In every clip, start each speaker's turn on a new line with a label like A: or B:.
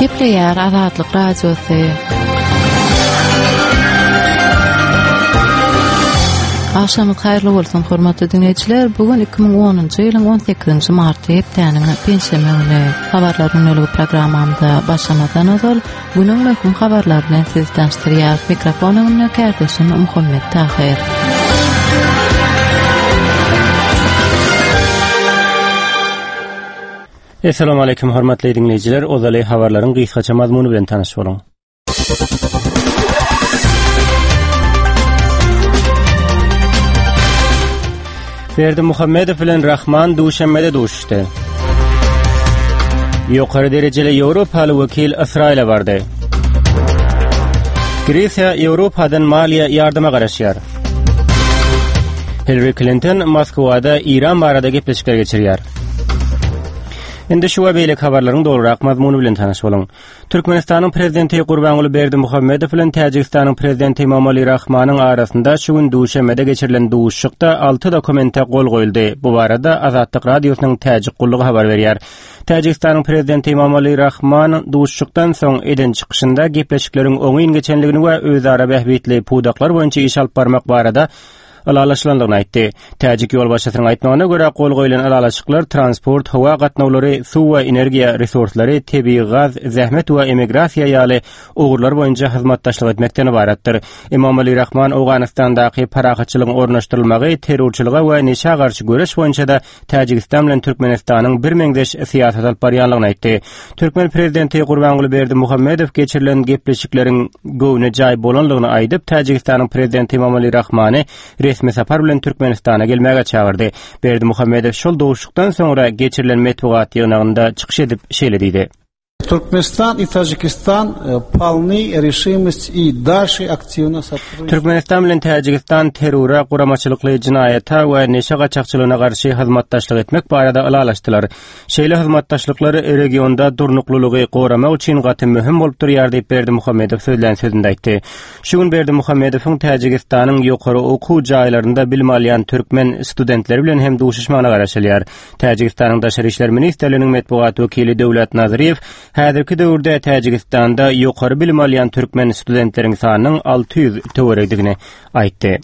A: Gepleýär Azatlyk Radiosy. Agşamyňyz haýyrly bolsun, hormatly diňleýjiler. Bu gün 2010-njy ýylyň 18-nji marty, hepdäniň penşenbe güni. Habarlar gündeligi programmamyza başlamazdan ozal, Günüň möhüm habarlary bilen sizi tanyşdyrýar. Mikrofon öňünde kärdeşim Muhammet Tahyr.
B: Essalamu aleýkum hormatly diňleýjiler, ozaly habarlaryň gysgaça mazmuny bilen tanyş boluň. Berdimuhamedow bilen Rahman Duşenbede duşuşdy. Ýokary derejeli ýewropaly wekil Ysraýyla bardy. Gresiýa Ýewropadan maliýe ýardyma garaşýar. Hillary Klinton Moskwada Eýran barada gepleşikler geçirýär. Indi şu we beýleki habarlaryň dolurak mazmuny bilen tanyş boluň. Türkmenistanyň Prezidenti Gurbanguly Berdimuhamedow bilen Täjigistanyň Prezidenti Emomali Rahmanyň arasynda şu gün Duşenbede geçirilen duşuşykda alty dokumente gol goýuldy. Bu barada Azatlyk Radiosynyň Täjik gullugy habar berýär. Täjigistanyň Prezidenti Emomali Rahman duşuşykdan soň eden çykyşynda gepleşikleriň oňyn geçendigini we özara bähbitli pudaklar boýunça iş alyp barmak barada ylalaşylandygyny aýtdy. Täjik ýolbaşçysynyň aýtmagyna görä, gol goýlan ylalaşyklar transport, howa gatnawlary, suw we energiýa resurslary, tebigy gaz, zähmet we emigrasiýa ýaly ugurlar boýunça hyzmatdaşlyk etmekden ybaratdyr. Emomali Rahman Owganystandaky parahatçylygyň ornaşdyrylmagy, terrorçylyga we neşä garşy göreş boýunça-da Täjigistan bilen Türkmenistanyň birmeňzeş syýasat alyp barýanlygyny aýtdy. Türkmen prezidenti Gurbanguly Berdimuhamedow geçirilen gepleşikleriň göwne jaý bolanlygyny aýdyp, Täjigistanyň prezidenti Emomali Rahmany resmi sapar bilen Türkmenistana gelmäge çagyrdy. Berdimuhamedow şol duşuşykdan soňra geçirilen metbugat ýygnagynda çykyş edip, şeýle diýdi.
C: Türkmenistan i Tajikistan polny reşimost i dalşe aktiwno sotrudniçat.
B: Türkmenistan bilen Täjigistan terrora, guramaçylykly jynaýata we neşe gaçakçylygyna garşy hyzmatdaşlyk etmek barada ylalaşdylar. Şeýle hyzmatdaşlyklar regionda durnuklylygy goramak üçin gaty möhüm bolup durýar diýip Berdimuhamedow sözlän sözünde aýtdy. Şu gün Berdimuhamedowyň Täjigistanyň ýokary okuw jaýlarynda bilim alýan türkmen studentleri bilen hem duşuşmagyna garaşylýar. Täjigistanyň Daşary işler ministrliginiň metbugat wekili Döwlet Nazryýew häzirki döwürde Täjigistanda ýokary bilim alýan türkmen studentleriň sanynyň 600 töweregidigini aýtdy.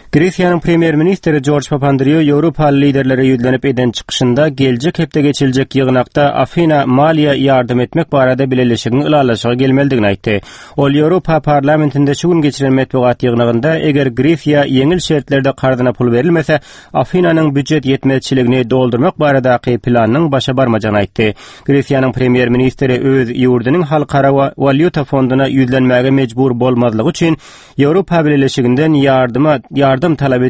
B: Gresiýanyň premýer-ministri Jorj Papandreou ýewropaly liderlere ýüzlenip eden çykyşynda geljek hepde geçiriljek ýygnakda Afina maliýe ýardam etmek barada bileleşigiň ylalaşyga gelmelidigini aýtdy. Ol Ýewropa Parlamentinde şu gün geçiren metbugat ýygnagynda eger Gresiýa ýeňil şertlerde karzyna pul berilmese, Afinanyň býujet ýetmezçiligini doldurmak baradaky planynyň başa barmajagyny aýtdy. Gresiýanyň premýer-ministri öz ýurdunyň Halkara walýuta fonduna ýüzlenmäge mejbur bolmazlygy üçin Ýewropa Bileleşiginden ýardyma ýardam talap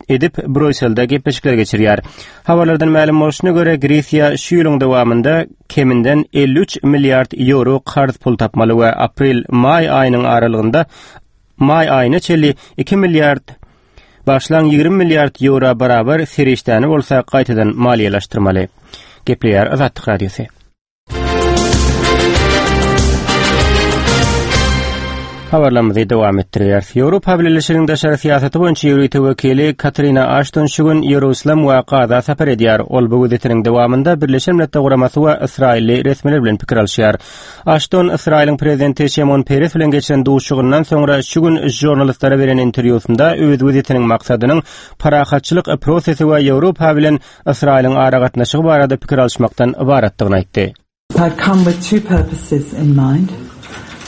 B: edip, Brýusselde gepleşikler geçirýär. Habarlardan mälim bolşuna görä, Gresiýa şu ýylyň dowamynda keminden 53 milliard ýewro karz pul tapmaly we aprel-maý aýynyň aralygynda maý aýyna çenli 2 milliard Bagyşlaň 20 milliard ýewro barabar serişdäni bolsa gaýtadan maliýeleşdirmeli. Gepleýär Azatlyk Radiosy. Habarlarymyzy dowam etdirýäris. Ýewropa Bileleşiginiň daşary syýasaty boýunça ýörite wekili Katrina Aşton şu gün Ýerusalem we Gaza sapar edýär. Ol bu wizitiniň dowamynda Birleşen Milletler Guramasy we ysraýylly resmiler bilen pikir alyşýar. Aşton Ysraýylyň prezidenti Şimon Peres bilen geçiren duşuşygyndan soňra şu gün žurnalistlere beren interwýusynda öz wizitiniň maksadynyň parahatçylyk prosesi we Ýewropa bilen Ysraýylyň aragatnaşygy barada pikir alyşmakdan ybaratdygyny aýtdy.
D: I've come with two purposes in mind.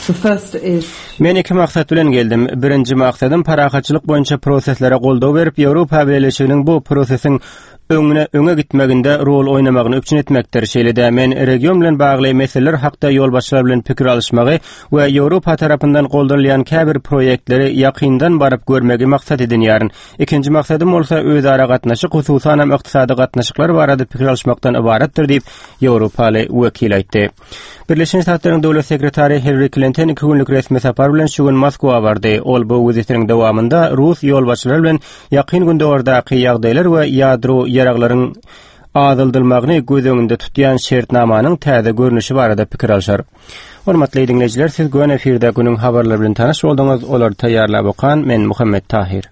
D: The first is
B: Men iki maksat bilen geldim. Birinji maksadym parahatçylyk boýunça proseslere goldaw berip, Ýewropa Bileleşiginiň bu prosesiň öňüne öňe gitmeginde rol oýnamagyny üpjün etmekdir. Şeýle-de men region bilen bagly meseleler hakda ýolbaşçylar bilen pikir alyşmagy we Ýewropa tarapyndan goldanylýan käbir proýektleri ýakyndan baryp görmegi maksat edinýärin. Ikinji maksadym bolsa özara gatnaşyk, hususanam ykdysady gatnaşyklar barada pikir alyşmakdan ybaratdyr diýip, ýewropaly wekil aýtdy. Birleşen Ştatlaryň döwlet sekretary Hillari Klinton iki günlük resmi sapar bilen şu gün Moskwa bardy. Ol bu wizitiniň dowamynda rus ýolbaşçylary bilen Ýakyn Gündogardaky ýagdaýlar we ýadro ýaraglaryň azaldylmagyny göz öňünde tutýan şertnamanyň täze görnüşi barada pikir alşar. Hormatly diňleýjiler, siz göni efirde günüň habarlary bilen tanyş bolduňyz. Olary taýýarlap okan men Muhammet Tahyr.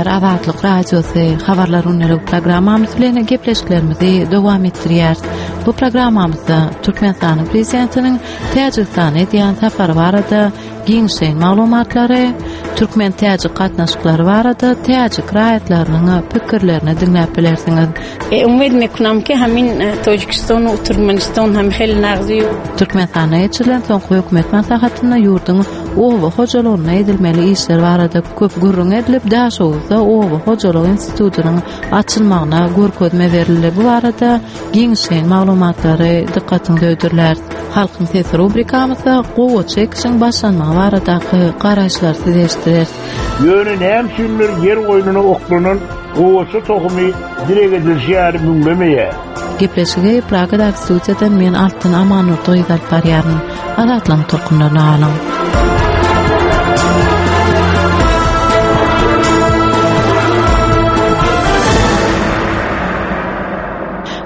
A: diňleýjiler, Azatlyk Radiosy habarlar gündelik programmamyz bilen gepleşiklerimizi dowam etdirýäris. Bu programmamyzda Türkmenistanyň Prezidentiniň Täjigistana edýän sapary barada giňişleýin maglumatlary, türkmen-täjik gatnaşyklary barada täjik raýatlarynyň pikirlerini diňläp bilersiňiz.
E: Umyt mekunam ki hamin Tojikiston u Turkmeniston hem hel nagzy.
A: Türkmenistanda geçirilen soňky hökümet maslahatynda ýurduň oba hojalygynda edilmeli işler barada köp gürrüň edilip, Daşoguzda oba hojalyk institutynyň açylmagyna görkezme berildi. Bu barada giňişleýin maglumatlary dykgatyňyza hödürläris. Halkyň sesi rubrikamyzda gowaça ekişiň başlanmagy baradaky garaýyşlary size eşitdireris.
F: Ýöne näme üçindir ýer goýnuna oklanan gowaça tohumy dileg edilişi ýaly müňlemeýär.
A: Gepleşigi Pragadaky studiýadan men Altyn Amanurdy gyzy alyp barýaryn. Azatlygyň tolkunlaryny alyň.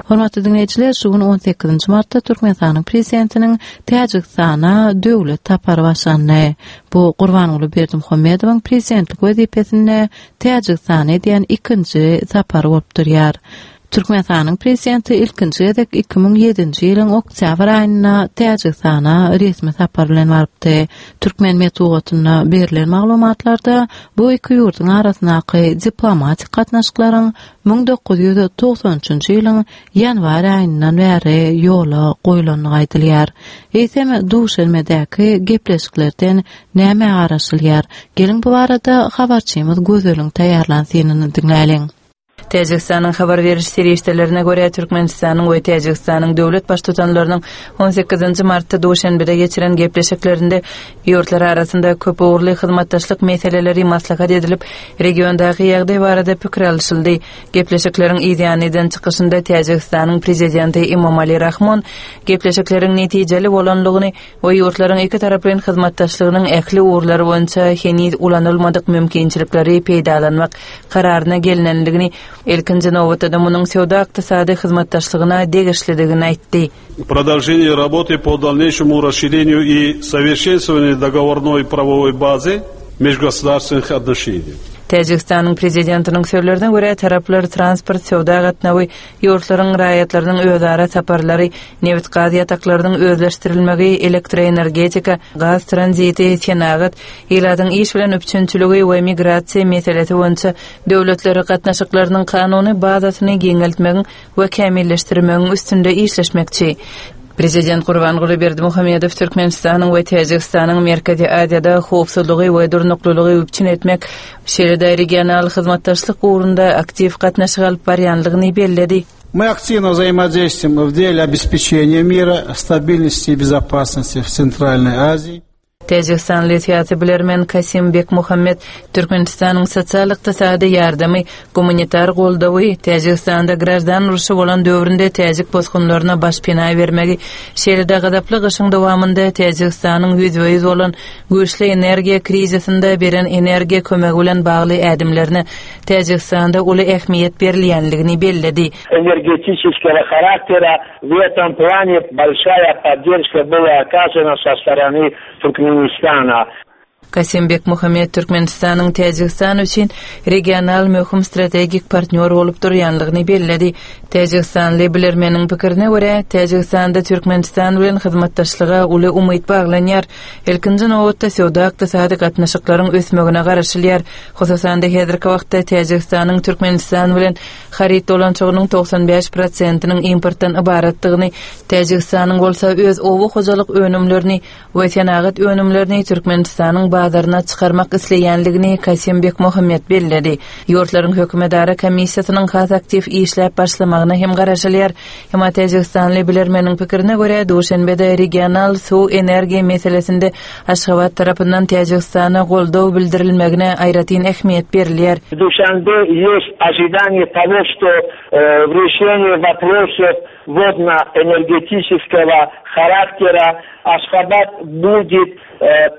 A: Hormatly diňleýjiler, şu gün 18 martda Türkmenistanyň Prezidentiniň Täjigistana döwlet sapary başlandy. Bu Gurbanguly Berdimuhamedowyň prezidentlik wezipesinde Täjigistana edýän ikinji sapary bolup durýar. Türkmenistanyň Prezidenti ilkinji gezek 2007-nji ýylyň oktýabr aýynda Täjigistana resmi sapar bilen barypdy. Türkmen metbugatynda berlen maglumatlarda bu iki ýurduň arasyndaky diplomatik gatnaşyklaryň 1993-nji ýylyň ýanwar aýyndan bäri ýola goýlandygy aýdylýar. Eýsem, Duşenbedäki gepleşiklerden nämä garaşylýar? Geliň bu barada habarçymyz Gözeliň taýýarlan synyny diňläliň.
D: Täjigistanyň habar beriş serişdelerine görä, Türkmenistanyň we Täjigistanyň döwlet Baştutanlarynyň on sekizinji martda Duşenbede geçiren gepleşiklerinde ýurtlar arasynda köp ugurly hyzmatdaşlyk meseleleri maslahat edilip, regiondaky ýagdaý barada pikir alyşyldy. Gepleşikleriň yzýany eden çykyşynda Täjigistanyň Prezidenti Emomali Rahmon gepleşikleriň netijeli bolandygyny we ýurtlaryň ikitaraplaýyn hyzmatdaşlygynyň ähli ugurlary boýunça heniz ulanylmadyk mümkinçilikleri peýdalanmak kararyna gelnendigini, ilkinji nobatda-da munuň söwda-ykdysady hyzmatdaşlygyna degişlidigini aýtdy.
G: Продолжение работы по дальнейшему расширению и совершенствованию договорной правовой базы межгосударственных отношений.
D: Täjigistanyň Prezidentiniň sözlerine görä, taraplar transport, söwda gatnawy, ýurtlaryň raýatlarynyň özara saparlary, nebit-gaz ýataklarynyň özleşdirilmegi, elektroenergetika, gaz tranziti, senagat, ilatyň iş bilen üpjünçiligi we migrasiýa meselesi boýunça döwletler gatnaşyklarynyň kanuny bazasyny giňeltmegiň we kämilleşdirmegiň üstünde işleşmekçi. Prezident Gurbanguly Berdimuhamedow Türkmenistanyň we Täjigistanyň Merkezi Aziýada howpsuzlygy we durnuklylygy üpjün etmek, şeýle-de regional hyzmatdaşlyk ugrunda aktiw gatnaşyk alyp barýandygyny belledi.
C: Мы активно взаимодействуем в деле обеспечения мира, стабильности и безопасности в Центральной Азии.
D: Täjigistanly syýasy bilermen Kasim Bekmuhammet Türkmenistanyň sosial-ykdysady ýardamy, gumanitar goldawy, Täjigistanda graždan urşy bolan döwründe täjik bosgunlaryna başpena bermegi, şeýle-de gazaply gyşyň dowamynda Täjigistanyň ýüzbe-ýüz bolan güýçli energiýa krizisinde beren energiýa kömegi bilen bagly ädimlerine Täjigistanda uly ähmiýet berilýänligini belledi.
F: Energetiçeskogo haraktera W etom plane bolşaýa podderşka byla okazana so storony Turkmenistana.
D: Kasym Bekmuhamet Türkmenistanyň Täjigistan üçin regional möhüm strategik partnýor bolup durýanlygyny belledi. Täjigistanly bilermeniň pikirine görä, Täjigistanda Türkmenistan bilen hyzmatdaşlyga uly umyt baglanýar. Ilkinji nobatda söwda-ykdysady gatnaşyklaryň ösmegine garaşylýar. Hususan-da, häzirki wagtda Täjigistanyň Türkmenistan bilen Haryt dolanyşygynyň 95 prosentiniň importdan ybaratdygyny, Täjigistanyň bolsa öz oba hojalyk önümlerini we senagat önümlerini Türkmenistanyň bazaryna çykarmak isleýändigini Kasym Bekmuhammet belledi. Ýurtlaryň hökümetara komissiýasynyň has aktiw işläp başlamagyna hem garaşylýar. Emma täjigistanly bilermeniň pikirine görä, Duşenbede regional suw-energiýa meselesinde Aşgabat tarapyndan Täjigistana goldaw bildirilmegine aýratyn ähmiýet berilýär.
F: W Duşanbe ýest ožidaniýe togo, şto w reşeniýe woprosow wodno-energetiçeskogo haraktera Aşgabat budet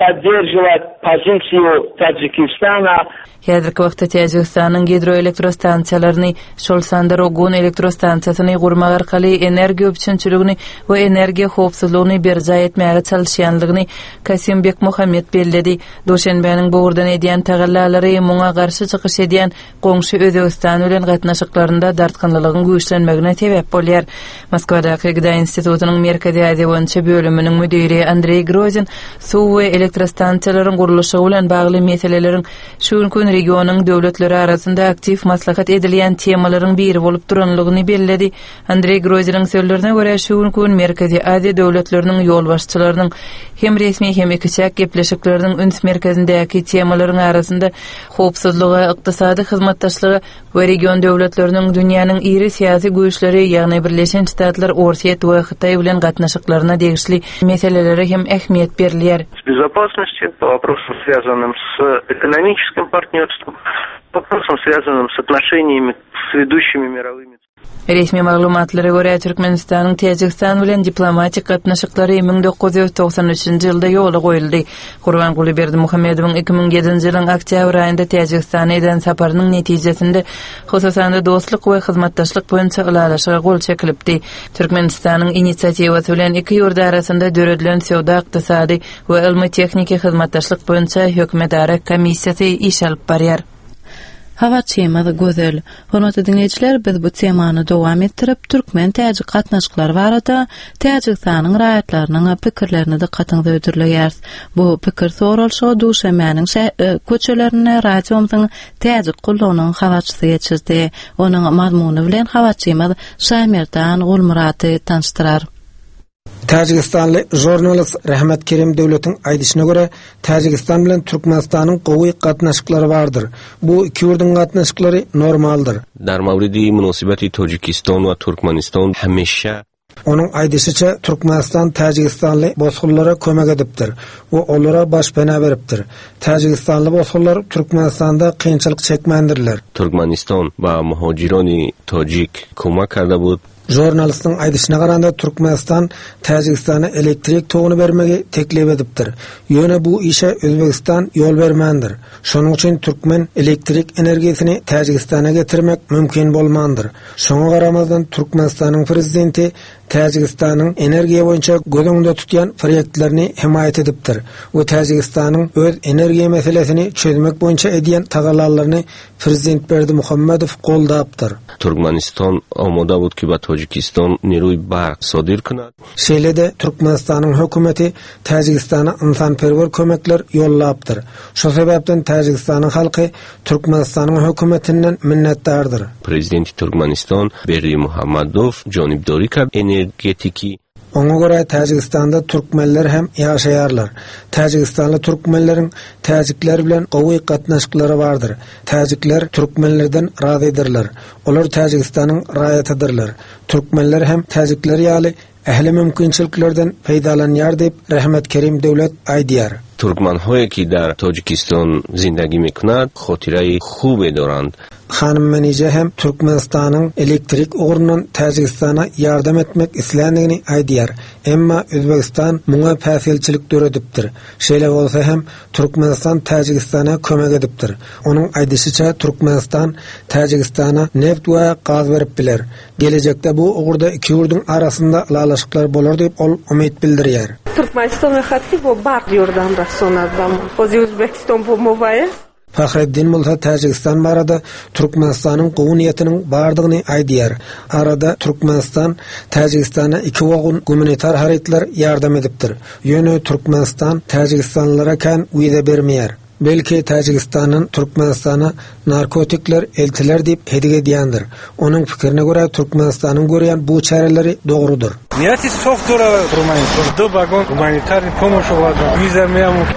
F: podderžiwat. Позицию Таджикистана.
D: Häzirki wagtda Täjigistanyň gidroelektrostansiýalaryny, şol sanda Rogun elektrostansiýasyny gurmak arkaly energiýa üpjünçiligini we energiýa howpsuzlygyny berjaý etmäge çalyşýanlygyny Kasym Bekmuhammet belledi. Duşenbäniň bu ugurdan edýän tagallalary muňa garşy çykyş edýän goňşy Özbegistan bilen gatnaşyklarynda dartgynlylygyň güýçlenmegine sebäp bolýar. Moskwadaky Gda institutynyň Merkezi Aziýa boýunça bölüminiň müdiri Andreý Grozin suw we elektrostansiýalaryň gurluşygy bilen bagly meseleleriň şu günki gün regionyň döwletleri arasynda aktiw maslahat edilýän temalaryň biri bolup duranlygyny belledi. Andreý Groziniň sözlerine görä, şu günki gün Merkezi Aziýa döwletleriniň ýolbaşçylarynyň hem resmi, hem ikiçäk gepleşikleriniň üns merkezindäki temalaryň arasynda howpsuzlyga, ykdysady hyzmatdaşlyga we region döwletleriniň dünýäniň iri syýasy güýçleri, ýagny Birleşen Ştatlar, Orsýet we Hytaý bilen gatnaşyklaryna degişli meselelere hem ähmiýet berilýär.
H: Безопасности, по вопросам, связанным с экономическим партнерством, по вопросам, связанным с отношениями с ведущими мировыми
D: Resmi maglumatlara görä, Türkmenistanyň Täjigistan bilen diplomatik gatnaşyklary 1993-nji ýylda ýola goýuldy. Gurbanguly Berdimuhamedowyň 2007-nji ýylyň oktýabr aýynda Täjigistana eden saparynyň netijesinde, hususan-da, dostluk we hyzmatdaşlyk boýunça ylalaşyga gol çekilipdi. Türkmenistanyň inisiatiwasy bilen iki ýurt arasynda döredilen söwda-ykdysady we ylmy-tehniki hyzmatdaşlyk boýunça hökümetara komissiýasy iş alyp barýar.
A: Habarçymyz Gözel. Hormatly diňleýjiler, biz bu temany dowam etdirip, türkmen-täjik gatnaşyklary barada Täjigistanyň raýatlarynyň pikirlerini dykgatyňyza hödürleýäris. Bu pikir soralyşygy Duşenbäniň köçelerinde radiomyzyň Täjik gullugynyň habarçysy geçirdi. Onuň mazmuny bilen habarçymyz Şaýmerdan Gulmyrady tanyşdyrar.
I: Täjigistanly žurnalist Rahmat Kerim Döwletiň aýdyşyna görä, Täjigistan bilen Türkmenistanyň gowy gatnaşyklary bardyr. Bu iki ýurduň gatnaşyklary normaldyr.
J: Dar mawridi munosibati Tojikiston we Turkmaniston hemişe.
I: Onuň aýdyşyça, Türkmenistan täjigistanly bosgunlara kömek edipdir we olara başpena beripdir. Täjigistanly bosgunlar Türkmenistanda kynçylyk çekmändirler.
J: Turkmaniston ba muhojironi tojik komak karda bud.
I: Žurnalistiň aýdyşyna garanda, Türkmenistan Täjigistana elektrik toguny bermegi teklip edipdir. Ýöne bu işe Özbegistan ýol bermändir. Şonuň üçin türkmen elektrik energiýasyny Täjigistana getirmek mümkin bolmandyr. Şoňa garamazdan, Türkmenistanyň prezidenti Täjigistanyň energiýa boýunça göz öňünde tutýan proýektlerini hemaýat edipdir we Täjigistanyň öz energiýa meselesini çözmek boýunça edýän tagallalaryny Prezident Berdimuhamedow goldapdyr.
J: Türkmenistan omoda bud ki ba Tojikiston niruý bark sodir kunad.
I: Şeýle-de Türkmenistanyň hökümeti Täjigistana ynsanperwer kömekler ýollapdyr. Şu sebäpden Täjigistanyň halky Türkmenistanyň hökümetinden minnetdardyr.
J: Prezidenti Türkmenistan Berdimuhamedow jonibdori kard energetiki.
I: Oňa görä Täjigistanda türkmenler hem ýaşaýarlar. Täjigistanly türkmenleriň täjikler bilen gowy gatnaşyklary bardyr. Täjikler türkmenlerden razydyrlar. Olar Täjigistanyň raýatydyrlar. Türkmenler hem täjikler ýaly ähli mümkinçiliklerden peýdalanýar diýip, Rehmet Kerim Döwlet aýdýar.
J: Turkmanhoye ki dar Tojikiston zindagi mikunad hotirayi hube dorand.
I: Hanym Menije hem Türkmenistanyň elektrik ugrundan Täjigistana ýardam etmek isländigini aýdýar. Emma Özbegistan muňa päsgelçilik döredipdir. Şeýle bolsa hem, Türkmenistan Täjigistana kömek edipdir. Onuň aýdyşyça, Türkmenistan Täjigistana neft we gaz berip biler. Gelejekde bu ugurda iki ýurduň arasynda ylalaşyklar bolar diýip, ol umyt bildirýär.
K: Türkmeniston rahatly bo bark ýurdam rasonadam. Ozi Uzbekiston bo mowaýe.
I: Fahreddin bolsa Täjigistan barada Türkmenistanyň gowy niýetiniň bardygyny aýdýar. Arada Türkmenistan Täjigistana iki wagon gumanitar harytlar ýardam edipdir. Ýöne Türkmenistan täjigistanlylara kän wiza bermeýär. Belki Täjigistandan Türkmenistana narkotikler eltiler diýip hedik edýändir. Onuň pikirine görä Türkmenistanyň görýän bu çäreleri dogrudyr.
L: Niýeti soft Türkmenistan du wagon gumanitarny pomoş wiza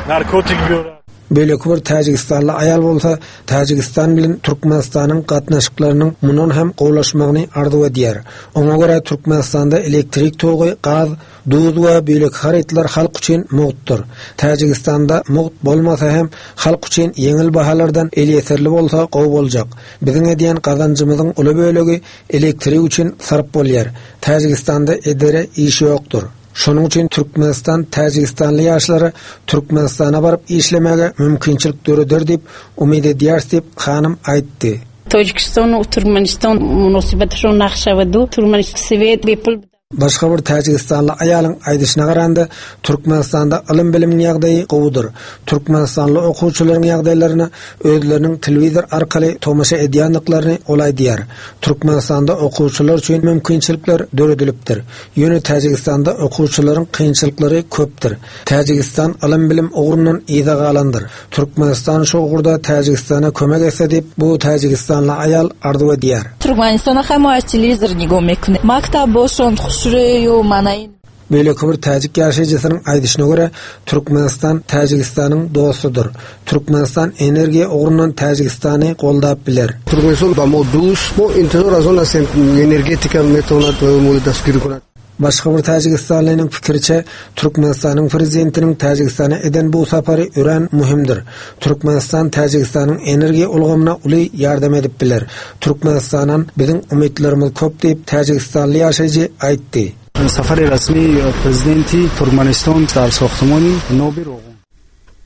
L: narkotik biora.
I: Beýleki bir täjigistanly aýal bolsa Täjigistan bilen Türkmenistanyň gatnaşyklarynyň mundan hem gowulaşmagyny arzuw edýär. Oňa görä Türkmenistanda elektrik togy, gaz, duz we beýleki harytlar halk üçin mugtdyr. Täjigistanda mugt bolmasa hem halk üçin ýeňil bahalardan elýeterli bolsa gowy boljak. Biziň edýän gazanjymyzyň uly bölegi elektrik üçin sarp bolýar. Täjigistanda edere iş ýokdur. Şonuň üçin Türkmenistan täjigistanly ýaşlara Türkmenistana baryp işlemäge mümkinçilik döreder diýip umyt edýäris diýip, hanym aýtdy.
E: Tojikiston Türkmeniston munosybaty nagşa Türkmen svet bepul
I: Başga bir täjigistanly aýalyň aýdyşyna garanda, Türkmenistanda ylym-bilimiň ýagdaýy gowudyr. Türkmenistanly okuwçylaryň ýagdaýlaryna özleriniň telewizor arkaly tomaşa edýändiklerini ol aýdýar. Türkmenistanda okuwçylar üçin mümkinçilikler döredilipdir. Ýöne Täjigistanda okuwçylaryň kynçylyklary köpdür. Täjigistan ylym-bilim ugrundan yza galandyr. Türkmenistan şu ugurda Täjigistana kömek etse diýip, bu täjigistanly aýal arzuw edýär.
M: Türkmenistana hamaş telewizor nigo mekune. Maktab boşon huşreýu manaýyn.
I: Beýleki bir täjik ýaşaýjysynyň aýdyşyna görä, Türkmenistan Täjigistanyň dostudyr. Türkmenistan energiýa ugrundan Täjigistany goldap biler.
N: Türkmenistan ba mo dust, mo intizor az on astem energetika metonat mo dastgiri konat.
I: Başga bir täjigistanlynyň pikiriçe, Türkmenistanyň prezidentiniň Täjigistana eden bu sapary örän möhümdir. Türkmenistan Täjigistanyň energiýa ulgamyna uly ýardam edip biler. Türkmenistandan biziň umytlarymyz köp diýip, täjigistanly ýaşaýjy aýtdy.
C: Safari resmi prezidenti Türkmenistan dar sogtymany Nobi Rogun.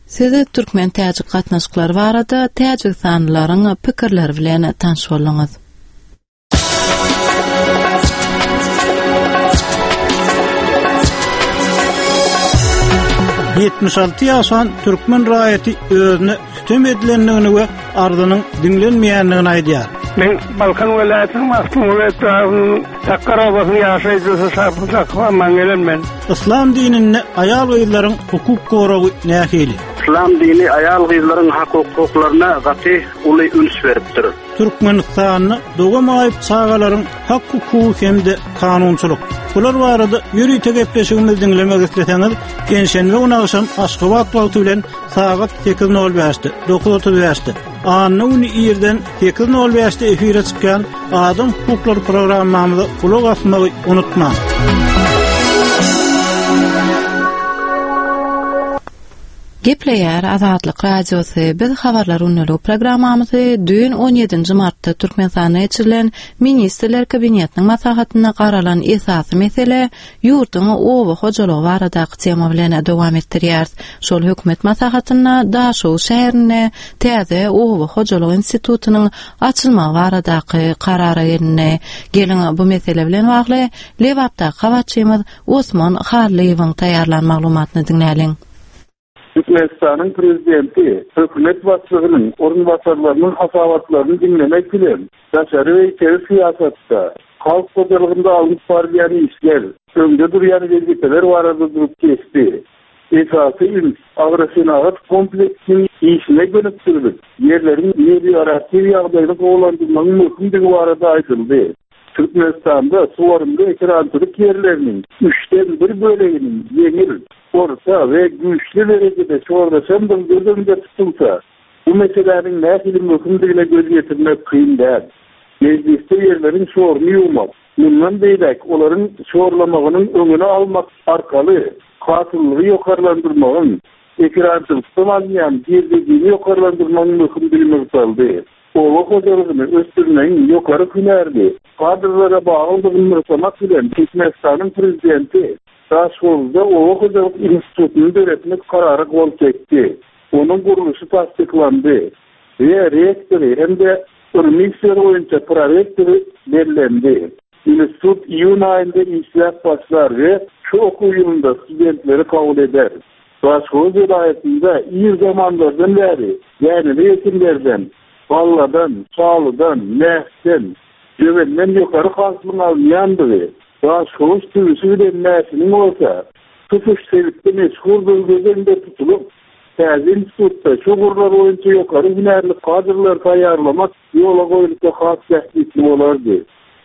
A: Siz türkmen-täjik gatnaşyklary barada täjigistanlylaryň pikirleri bilen tanyş bolduňyz.
C: 76 ýaşan türkmen raýaty özüne sütem edilendigini we arzynyň diňlenmeýändigini aýdýar.
L: Men Balkan welaýatynyň Magtymguly etrabynyň Sakgar obasynyň ýaşaýjysy Şapur Sakyp Aman men.
C: Yslam dininde aýal-gyzlaryň hukuk goragy nähili?
O: Yslam dini aýal-gyzlaryň hak-hukuklaryna gaty uly üns beripdir.
C: Türkmenistanda doga maýyp çagalaryň hak-hukugy hem-de kanunçylyk. Bular barada ýörite gepleşigimizi diňlemek isleseňiz, penşenbe güni agşam Aşgabat wagty bilen sagat 8:05-de, 9:35-de, anna güni irden 8:05-de efire çykýan Adam hukuklary programmamyza gulak asmagy unutmaň.
A: Gepleýär Azatlyk Radiosy, Biz Habarlar gündeligi programmamyzy düýn on ýedinji martda Türkmenistanda geçirilen Ministrler Kabinetiniň maslahatynda garalan esasy mesele, ýurduň oba hojalygy baradaky tema bilen dowam etdirýäris. Şol hökümet maslahatynda Daşoguz şäherinde täze oba hojalyk institutynyň açylmagy baradaky karara gelindi. Geliň, bu mesele bilen bagly Lebapdaky habarçymyz Osman Hallyýewiň taýýarlan maglumatyny diňläliň.
P: Türkmenistanyň Prezidenti hökümet başlygynyň orunbasarlarynyň hasabatlaryny diňlemek bilen, daşary we içeri syýasatda, halk hojalygynda alnyp barylýan işler, öňde durýan wezipeler barada durup geçdi. Esasy üns agrosenagat kompleksiniň işine gönükdirilip, ýerleriň melioratiw ýagdaýyny gowulandyrmagyň möhümdigi barada aýdyldy. Türkmenistanda suwarymly ekerançylyk ýerleriniň üçden bir böleginiň ýeňil, orta we güýçli derejede şorlaşandygy göz öňünde tutulsa, bu meseläniň nähili möhümdigine göz ýetirmek kyn däl. Mejlisde ýerleriň şoruny ýuwmak, mundan beýläk olaryň şorlamagynyň öňüni almak arkaly hasyllylygy ýokarlandyrmagyň, ekerançylykdan alynýan girdejini ýokarlandyrmagyň möhümdigi nygtaldy. Oba hojalygyny ösdürmegiň ýokary hünärli kadrlara baglydygyny nygtamak bilen, Türkmenistanyň Prezidenti Daşhowuzda oba hojalyk institutyny döretmek karara gol çekdi. Onuň gurluşy tassyklandy we rektory hem-de ylmy işler boýunça prorektory bellendi. Institut iýun aýynda işläp başlar we şu okuw ýylynda studentleri kabul eder. Daşhowuz welaýatynda ir zamanlardan bäri däneli ekinlerden, galladan, şalydan, mäşden, jöwenden ýokary hasylyň alynýandygy, Daşhowuz tüwüsi bilen mäşiniň bolsa tutuş sebitde meşhurdygy göz öňünde tutulyp, täze institutda şu ugurlar boýunça ýokary hünärli kadrlary taýýarlamak ýola goýulsa has bähbitli bolardy.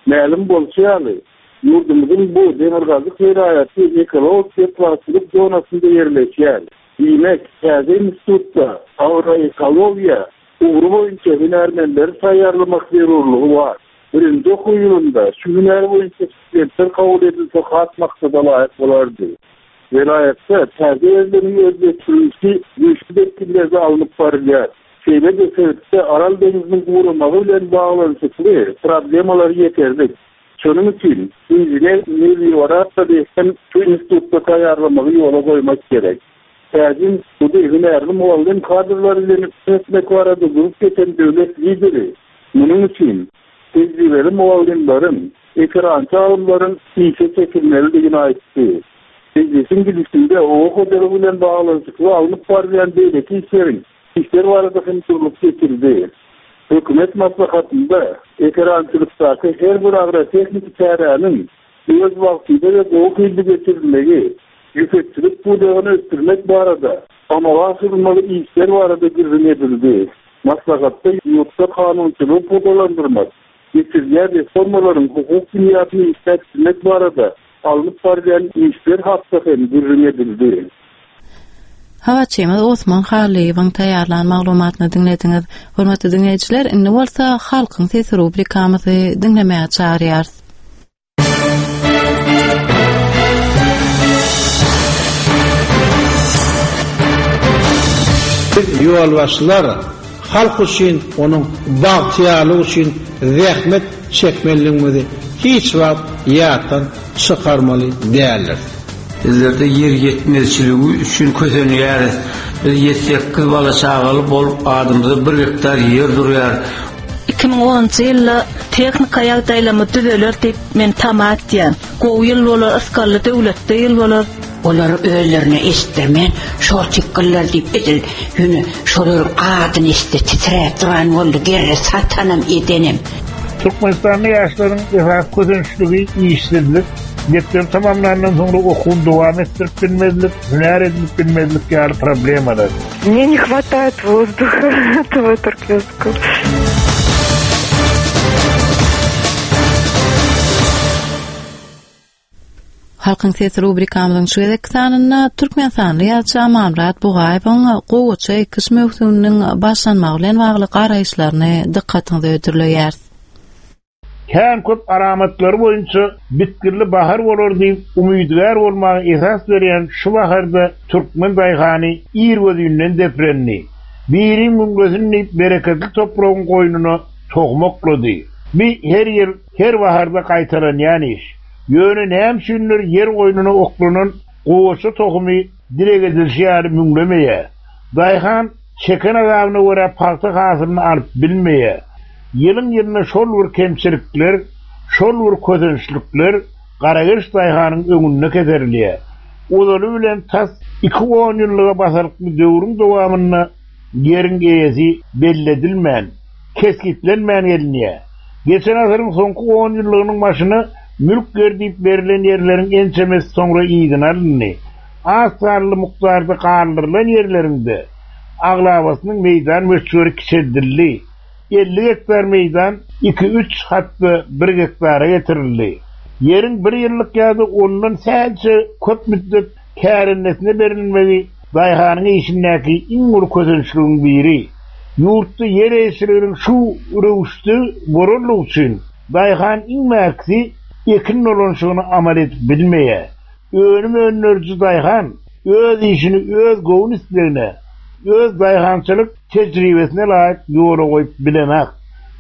P: Mälim bolşy ýaly, ýurdumyzyň bu demirgazyk welaýaty ekologik betbagtçylyk zonasynda ýerleşýär. Diýmek, täze institutda agroekologiýa ugry boýunça hünärmenleri taýýarlamak zerurlygy bar. Birinji okuw ýylynda şu hünär boýunça studentler kabul edilse has maksadalaýyk bolardy. Welaýatda täze ýerleriň özleşdirilişi güýçli depginlerde alnyp barylýar. Şeýle-de sebitde Aral deňziniň guramagy bilen baglanyşykly problemalar ýeterlik. Şonuň üçin inžener-melioratory hem şu institutda taýýarlamagy ýola goýmak gerek. Täze instituty hünärli mugallym kadrlary bilen üpjün etmek barada durup geçen döwlet Lideri munuň üçin tejribeli mugallymlaryň, ekerançy alymlaryň işe çekilmelidigini aýtdy. Mejlisiň gidişinde oba hojalygy bilen baglanyşykly alnyp barylýan beýleki işleriň işler barada hem durlup geçildi. Hökümet maslahatynda ekerançylykdaky her bir agrotehniki çäräniň öz wagtynda we gowy hilli geçirilmegi, ýüpekçilik pudagyny ösdürmek barada amala aşyrylmaly işler barada gürrüň edildi. Maslahatda ýurtda kanunçylygy pugtalandyrmak, geçirilýän reformalaryň hukuk binýadyny işläp düzmek barada alnyp barylýan işler hakda hem gürrüň edildi.
A: Habarçymyz Osman Hallyýewiň taýýarlan maglumatyny diňlediňiz. Hormatly diňleýjiler, indi bolsa Halkyň sesi rubrikamyzy diňlemäge çagyrýarys.
Q: Biz ýolbaşçylar halk üçin, onuň bagtyýarlygy üçin zähmet çekmelidigimizi hiç wagt ýatdan çykarmaly däldiris.
R: Bizlerde ýer ýetmezçiligi üçin kösenýäris. Biz ýedi-sekiz bala-çagaly bolup, adymyza bir gektar ýer durýar.
M: 2010-njy ýylda tehnika ýagdaýlarymyz düzeler diýip, men tama etýän. Gowy ýyl bolar, ysgally döwletli ýyl bolar.
S: Olary özlerine eşitdirmän, şor çykgynlar diýip edil ýöne şolaryň adyny eşitse titräp duran boldy gerre satanam edenem.
T: Türkmenistanda ýaşlaryň esasy kösençligi işsizlik, mekdebi tamamlandan soňra okuwyny dowam etdirip bilmezlik, hünär edinip bilmezlik ýaly problemalar.
K: Mne ne hwataet wozduha этого turkmenskogo.
A: Halkyň sesi rubrikamyzyň şu gezekki sanynda türkmenistanly ýazyjy Amanmyrat Bugaýewiň gowaça ekiş möwsüminiň başlanmagy bilen bagly garaýyşlaryny dykgatyňyza hödürleýäris.
T: Kän köp alamatlary boýunça bitginli bahar bolar diýip umydygär bolmaga esas berýän şu baharda türkmen daýhany irgözinden deprendi. Biriň müňlesin diýip bereketli topragyň goýnuna tohum oklady. Bi her ýyl, her baharda gaýtalanýan iş. Ýöne näme üçindir ýer goýnuna oklanan gowaça tohumy dileg edilişi ýaly müňlemeýär. Daýhan çeken azabyna görä pagta hasylyny alyp bilmeýär. Ýylyň-ýylyna şol bir kemçilikler, şol bir kösençlikler garageç daýhanyň öňünde keserilýär. Ozaly bilen tas iki onýyllyga basalykly döwrüň dowamynda ýeriň eýesi belledilmän, kesgitlenmän gelinýär. Geçen asyryň soňky onýyllygynyň başyna mülk ýer diýip berlen ýerleriň ençemesi soňra yzyna alyndy. Az sanly mukdarda galdyrylan ýerleriň-de aglabasynyň meýdan möçberi kiçeldildi. 50 gektar meýdan iki-üç, hat-da bir gektara getirildi. Ýeriň bir ýyllyk ýa-da ondan sähelçe köp müddet kärendesine berilmegi daýhanyň işindäki iň uly kösençligiň biri. Ýurtda ýer eýeçiliginiň şu röwüşde bolanlygy üçin daýhan iň bärkisi ekin dolanyşygyny amal edip bilmeýär. Önüm öndüriji daýhan öz işini öz göwün islegine, öz daýhançylyk tejribesine laýyk ýola goýup bilenak.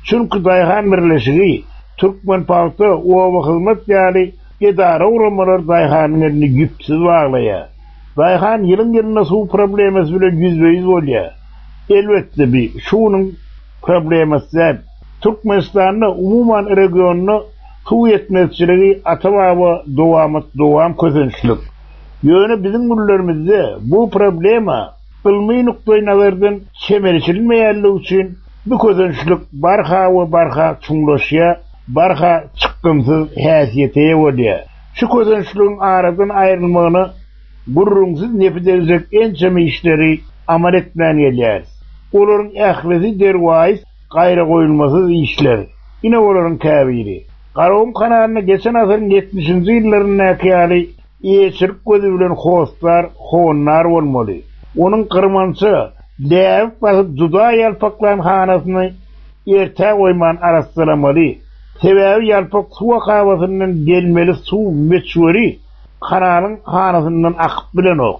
T: Çünki daýhan birleşigi, Türkmenpagta, Obahyzmat ýaly edara-guramalar daýhanyň elini ýüpsüz baglaýar. Daýhan ýylyň-ýylyna suw problemasy bilen ýüzbe-ýüz bolýar. Elbetde bi şu günüň problemasy däl. Türkmenistanda, umuman regionda suw ýetmezçiligi ata-baba dowamat dowam kösençlik. Ýöne biziň günlerimizde bu problema ylmy nukdaý nazardan çemeleşilmeýänligi üçin bu kösençlik barha we barha çuňlaşýar, barha çykgynsyz häsiýete eýe bolýar. Şu kösençligiň aradan aýrylmagyna gürrüňsiz nepi degjek ençeme işleri amal etmän gelýäris. Olaryň ählisi derwaýys, gaýragoýulmasyz işler. Ine olaryň käbiri. Garagum kanalyna geçen asyryň ýetmişinji ýyllaryndaky ýaly eýeçilik gözi bilen hossar, howandar bolmaly. Onuň gyrmança, läbik basyp juda ýalpaklan hanasyny ertä goýman arassalamaly. Sebäbi ýalpak suw akabasyndan gelmeli suw möçberi kanalyň hanasyndan akyp bilenok.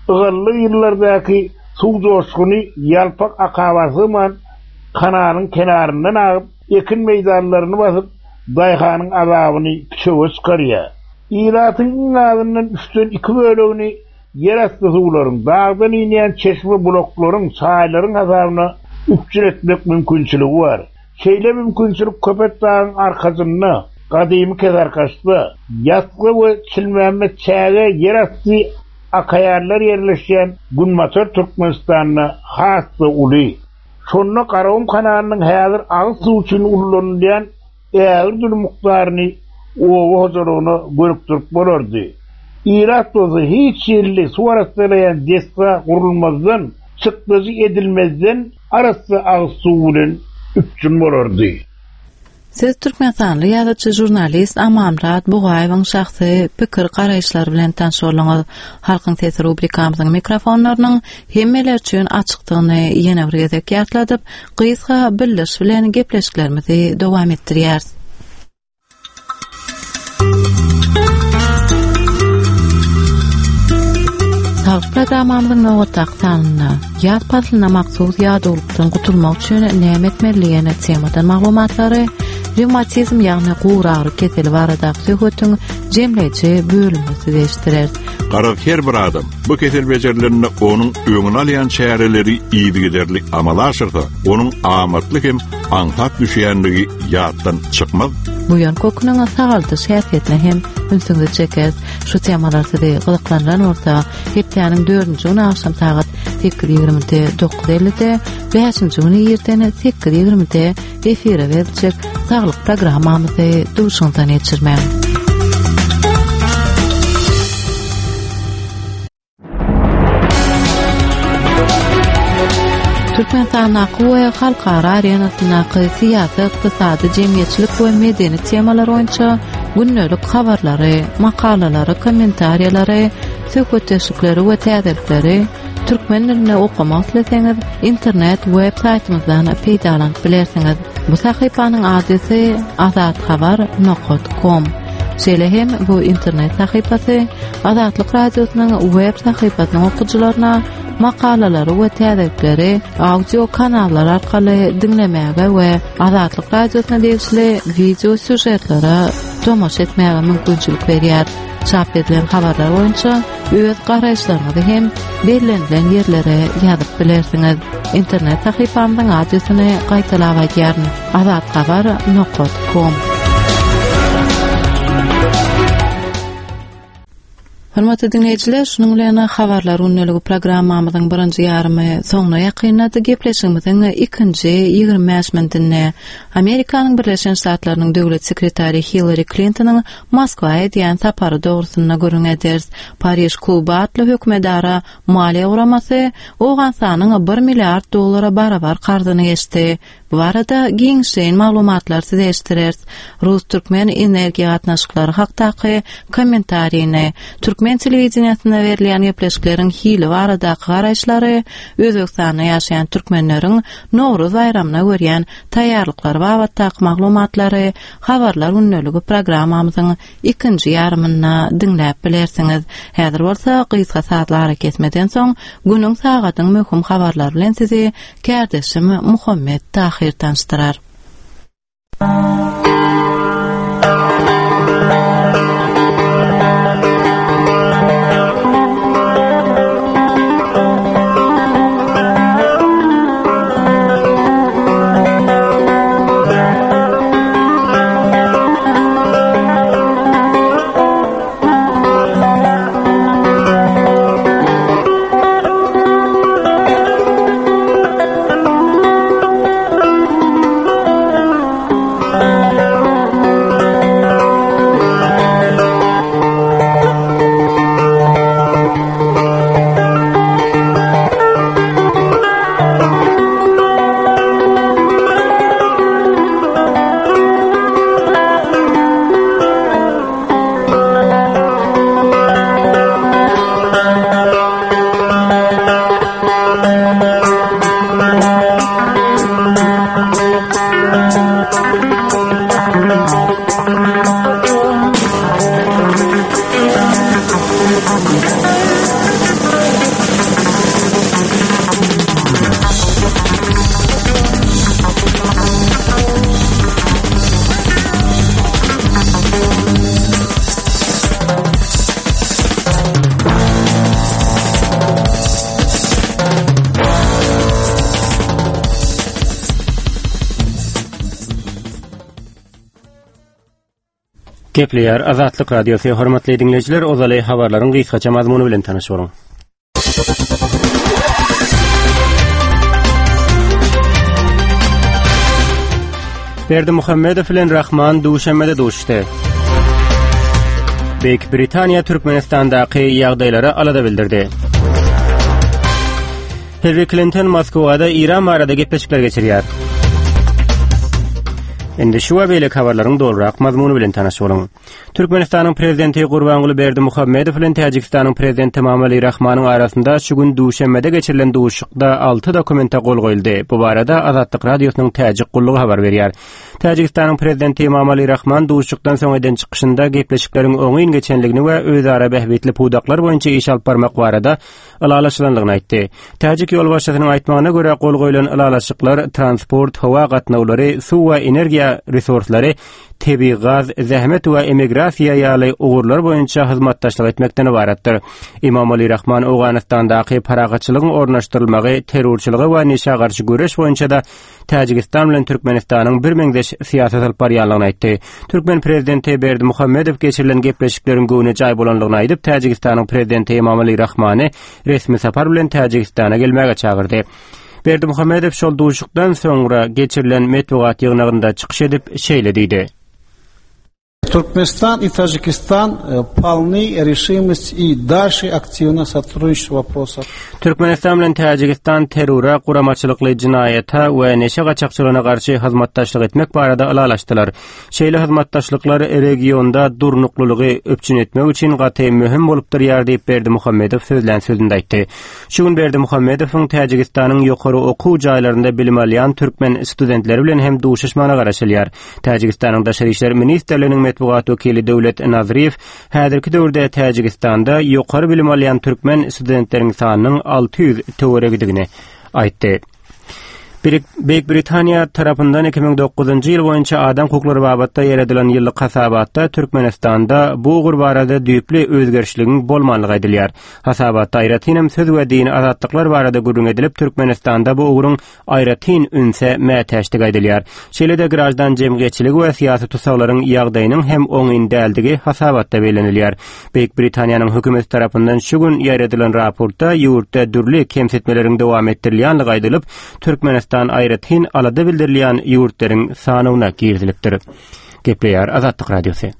T: Ygally ýyllardaky suw joşguny ýalpak akaba sygman, kanalyň kenaryndan agyp, ekin meýdanlaryny basyp, daýhanyň azabyny püçege çykarýar. Ilatyň iň azyndan üçden iki bölegini ýerasty suwlaryň, dagdan inýän çeşme-bulaklaryň, çaýlaryň hasabyna üpjün etmek mümkinçiligi bar. Şeýle mümkinçilik Köpetdagyň arkasynda, gadymy Kesarkaçda, Ýasga we Çilmämmet çäge ýerasty akaýarlar ýerleşýän Günbatar Türkmenistanda has-da uly. Şonda Garagum kanalynyň häzir agyz suwy üçin ullanylýan ägirt uly mukdaryny oba hojalygyna gönükdirip bolardy. Ilat bolsa hiç hili suw arassalaýan desga gurulmazdan, çykdajy edilmezden arassa agyz suw bilen üpjün bolardy.
A: Siz türkmenistanly ýazyjy, žurnalist Amanmyrat Bugaýewiň şahsy pikir-garaýyşlary bilen tanyş bolduňyz. Halkyň sesi rubrikamyzyň mikrofonlarynyň hemmeler üçin açykdygyny ýene bir gezek ýatladyp, gysga bildiriş bilen gepleşiklerimizi dowam etdirýäris. Saglyk programmamyzyň nobatdaky sanynda ýaz paslyna mahsus ýadawlykdan gutulmak üçin näme etmeli diýen temadan maglumatlary, rewmatizm ýagny guragyry keseli baradaky söhbetiň jemleýji bölümini size eşitdireris.
U: Garaz her bir adam bu kesel bejerilende onuň öňüni alýan çäreleri yzygiderli amala aşyrsa, onuň amatly hem aňsat düşýändigi ýatdan çykmaz.
A: Buýan köküniň sagaldyş häsiýetine hem ünsüňizi çekeris. Şu temalar sizi gyzyklandyran bolsa, hepdäniň dördünji güni agşam sagat 8:20-de, 9:50-de, bäşinji güni irden 8:20-de efire beriljek Saglyk programmamyzy duşuňyzdan geçirmäň. Türkmenistandaky we halkara arenasyndaky syýasy, ykdysady, jemgyýetçilik we medeni temalar boýunça gündelik habarlary, makalalary, kommentariýalary, söhbetdeşlikleri we täzelikleri türkmen dilinde okamak isleseňiz, internet web saýtymyzdan peýdalanyp bilersiňiz. Bu sahypanyň adresi azathabar nokat kom. Şeýle hem bu internet sahypasy Azatlyk Radiosynyň web sahypasynyň okyjylaryna makalalary we täzelikleri audio kanallar arkaly diňlemäge we Azatlyk Radiosyna degişli wideo sýužetlere tomaşa etmäge mümkinçilik berýär. Çap edilen habarlar boýunça öz garaýyşlaryňyzy hem bellenilen ýerlere ýazyp bilersiňiz. Internet sahypamyzyň adresini gaýtalap aýdýaryn, azathabar nokat kom. Hormatly diňleýjiler, şunuň bilen Habarlar gündeligi programmamyzyň birinji ýarymy soňuna ýakynlady. Gepleşigimiziň ikinji 25 minutynda Amerikanyň Birleşen Ştatlarynyň Döwlet sekretary Hillari Klintonyň Moskwa edýän sapary dogrusynda gürrüň ederis. Pariž kluby atly hökümetara maliýe guramasy Owganystanyň bir milliard dollara barabar karzyny geçdi. Bu barada giňişleýin maglumatlary size eşitdireris. Rus-türkmen energiýa gatnaşyklary hakdaky kommentarini, türkmen telewideniýesinde berilýän gepleşikleriň hili baradaky garaýyşlary, Özbegistanda ýaşaýan türkmenleriň Nowruz baýramyna görýän taýýarlyklary babatdaky maglumatlary Habarlar gündeligi programmamyzyň ikinji ýarymynda diňläp bilersiňiz. Häzir bolsa gysga sazly arakesmeden soň günüň sagadyň möhüm habarlary bilen sizi kärdeşim Muhammet Tahyr tanyşdyrar.
B: Gepleýär Azatlyk Radiosy, hormatly diňleýjiler, ozaly habarlaryň gysgaça mazmuny bilen tanyş boluň. Berdimuhamedow bilen Rahman Duşenbede duşuşdy. Beýik Britaniýa Türkmenistandaky ýagdaýlara alada bildirdi. Hillari Klinton Moskwada Eýran barada gepleşikler geçirýär. Indi şu we beýleki habarlaryň dolurak mazmuny bilen tanyş boluň. Türkmenistanyň Prezidenti Gurbanguly Berdimuhamedow bilen Täjigistanyň Prezidenti Emomali Rahmanyň arasynda şu gün Duşenbede geçirilen duşuşykda alty dokumente gol goýuldy. Bu barada Azatlyk Radiosynyň Täjik gullugy habar berýär. Täjigistanyň Prezidenti Emomali Rahman duşuşykdan soň eden çykyşynda gepleşikleriň oňyn geçenligini we özara bähbitli pudaklar boýunça iş alyp barmak barada ylalaşylandygyny aýtdy. Täjik ýolbaşçysynyň aýtmagyna görä, gol goýlan ylalaşyklar transport, howa gatnawlary, suw we energiýa resurslary, tebigy gaz, zähmet we emigrasiýa ýaly ugurlar boýunça hyzmatdaşlyk etmekden ybaratdyr. Emomali Rahman Owganystandaky parahatçylygyň ornaşdyrylmagy, terrorçylyga we neşä garşy göreş boýunça-da Täjigistan bilen Türkmenistanyň birmeňzeş syýasat alyp barýanlygyny aýtdy. Türkmen prezidenti Berdimuhamedow geçirilen gepleşikleriň göwnejaý bolanlygyny aýdyp, Täjigistanyň prezidenti Emomali Rahmany resmi sapar bilen Täjigistana gelmäge çagyrdy. Berdimuhamedow şol duşuşykdan soňra geçirilen metbugat ýygnagynda çykyş edip, şeýle diýdi.
Q: Türkmenistan и Таджикистан полны решимости и дальше активно сотрудничать в вопросах.
B: Türkmenistan bilen Täjigistan terrora, guramaçylykly jenaýata we neşe gaçakçylygyna garşy hyzmatdaşlyk etmek barada ylalaşdylar. Şeýle hyzmatdaşlyklar regionda durnuklylygy üpjün etmek üçin gaty möhüm bolup durýar diýip, Berdimuhamedow sözlän sözünde aýtdy. Şu gün Berdimuhamedowyň Täjigistanyň ýokary okuw jaýlarynda bilim alýan türkmen studentleri bilen hem duşuşmagyna garaşylýar. Täjigistanyň Daşary işler ministrliginiň metbugat wekili Döwlet Nazryýew häzirki döwürde Täjigistanda ýokary bilim alýan türkmen studentleriň sanynyň 600 töweregidigini aýtdy. Beýik Britaniýa tarapyndan 2009-njy ýyl boýunça adam hukuklary babatda ýaýradylan ýyllyk hasabatda Türkmenistanda bu ugur barada düýpli özgerişligiň bolmanlygy aýdylýar. Hasabatda aýratynam söz we dini azatlyklar barada gürrüň edilip, Türkmenistanda bu ugruň aýratyn ünse mätäçdigi aýdylýar. Şeýle-de graždan jemgyýetçiligi we syýasy tussaglaryň ýagdaýynyň hem oňyn däldigi hasabatda bellenilýär. Beýik Britaniýanyň hökümeti tarapyndan şu gün ýaýradylan raportda ýurtda dürli kemsitmeleriň dowam etdirilýänligi aýdylyp, Türkmenistan aýratyn alada bildirilýän ýurtlaryň sanawyna girizilipdir. Gepleýär Azatlyk Radiosy.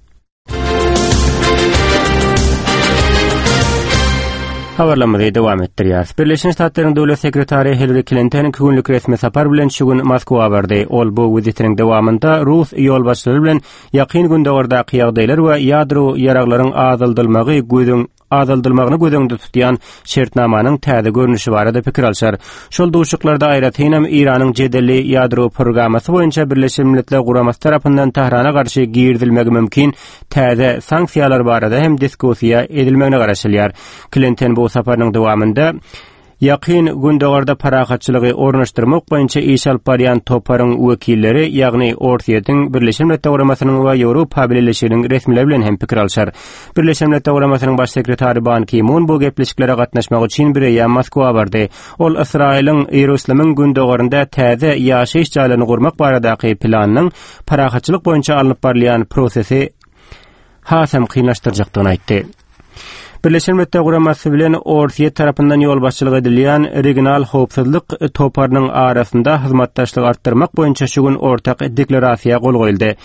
B: Habarlarymyzy dowam etdirýäris. Birleşen Ştatlaryň Döwlet sekretary Hillari Klinton iki günlük resmi sapar bilen şu gün Moskwa bardy. Ol bu wizitiniň dowamynda rus ýolbaşçylary bilen Ýakyn Gündogardaky ýagdaýlar we ýadro ýaraglaryň azaldylmagy gözüň azaldylmagyny göz öňünde tutýan şertnamanyň täze görnüşi barada pikir alşar. Şol duşuşyklarda aýratynam Eýranyň jedelli ýadro programmasy boýunça Birleşen Milletler Guramasy tarapyndan Tährana garşy girizilmegi mümkin täze sanksiýalar barada hem diskussiýa edilmegine garaşylýar. Klinton bu saparynyň dowamynda Ýakyn Gündogarda parahatçylygy ornaşdyrmak boýunça iş alyp barýan toparyň wekilleri, ýagny Orsýetiň, Birleşen Milletler Guramasynyň we Ýewropa Bileleşiginiň resmileri bilen hem pikir alşar. Birleşen Milletler Guramasynyň Baş sekretary Ban Ki Mun bu gepleşiklere gatnaşmak üçin bireýýäm Moskwa bardy. Ol Ysraýylyň Iýerusalimiň gündogarynda täze ýaşaýyş jaýlaryny gurmak baradaky planynyň parahatçylyk boýunça alnyp barylýan prosesi hasam kynlaşdyrjakdygyny aýtdy. Birleşen Milletler Guramasy bilen Orsýet tarapyndan ýolbaşçylyk edilýän regional howpsuzlyk toparynyň arasynda hyzmatdaşlygy artdyrmak boýunça şu gün ortak deklarasiýa gol goýuldy.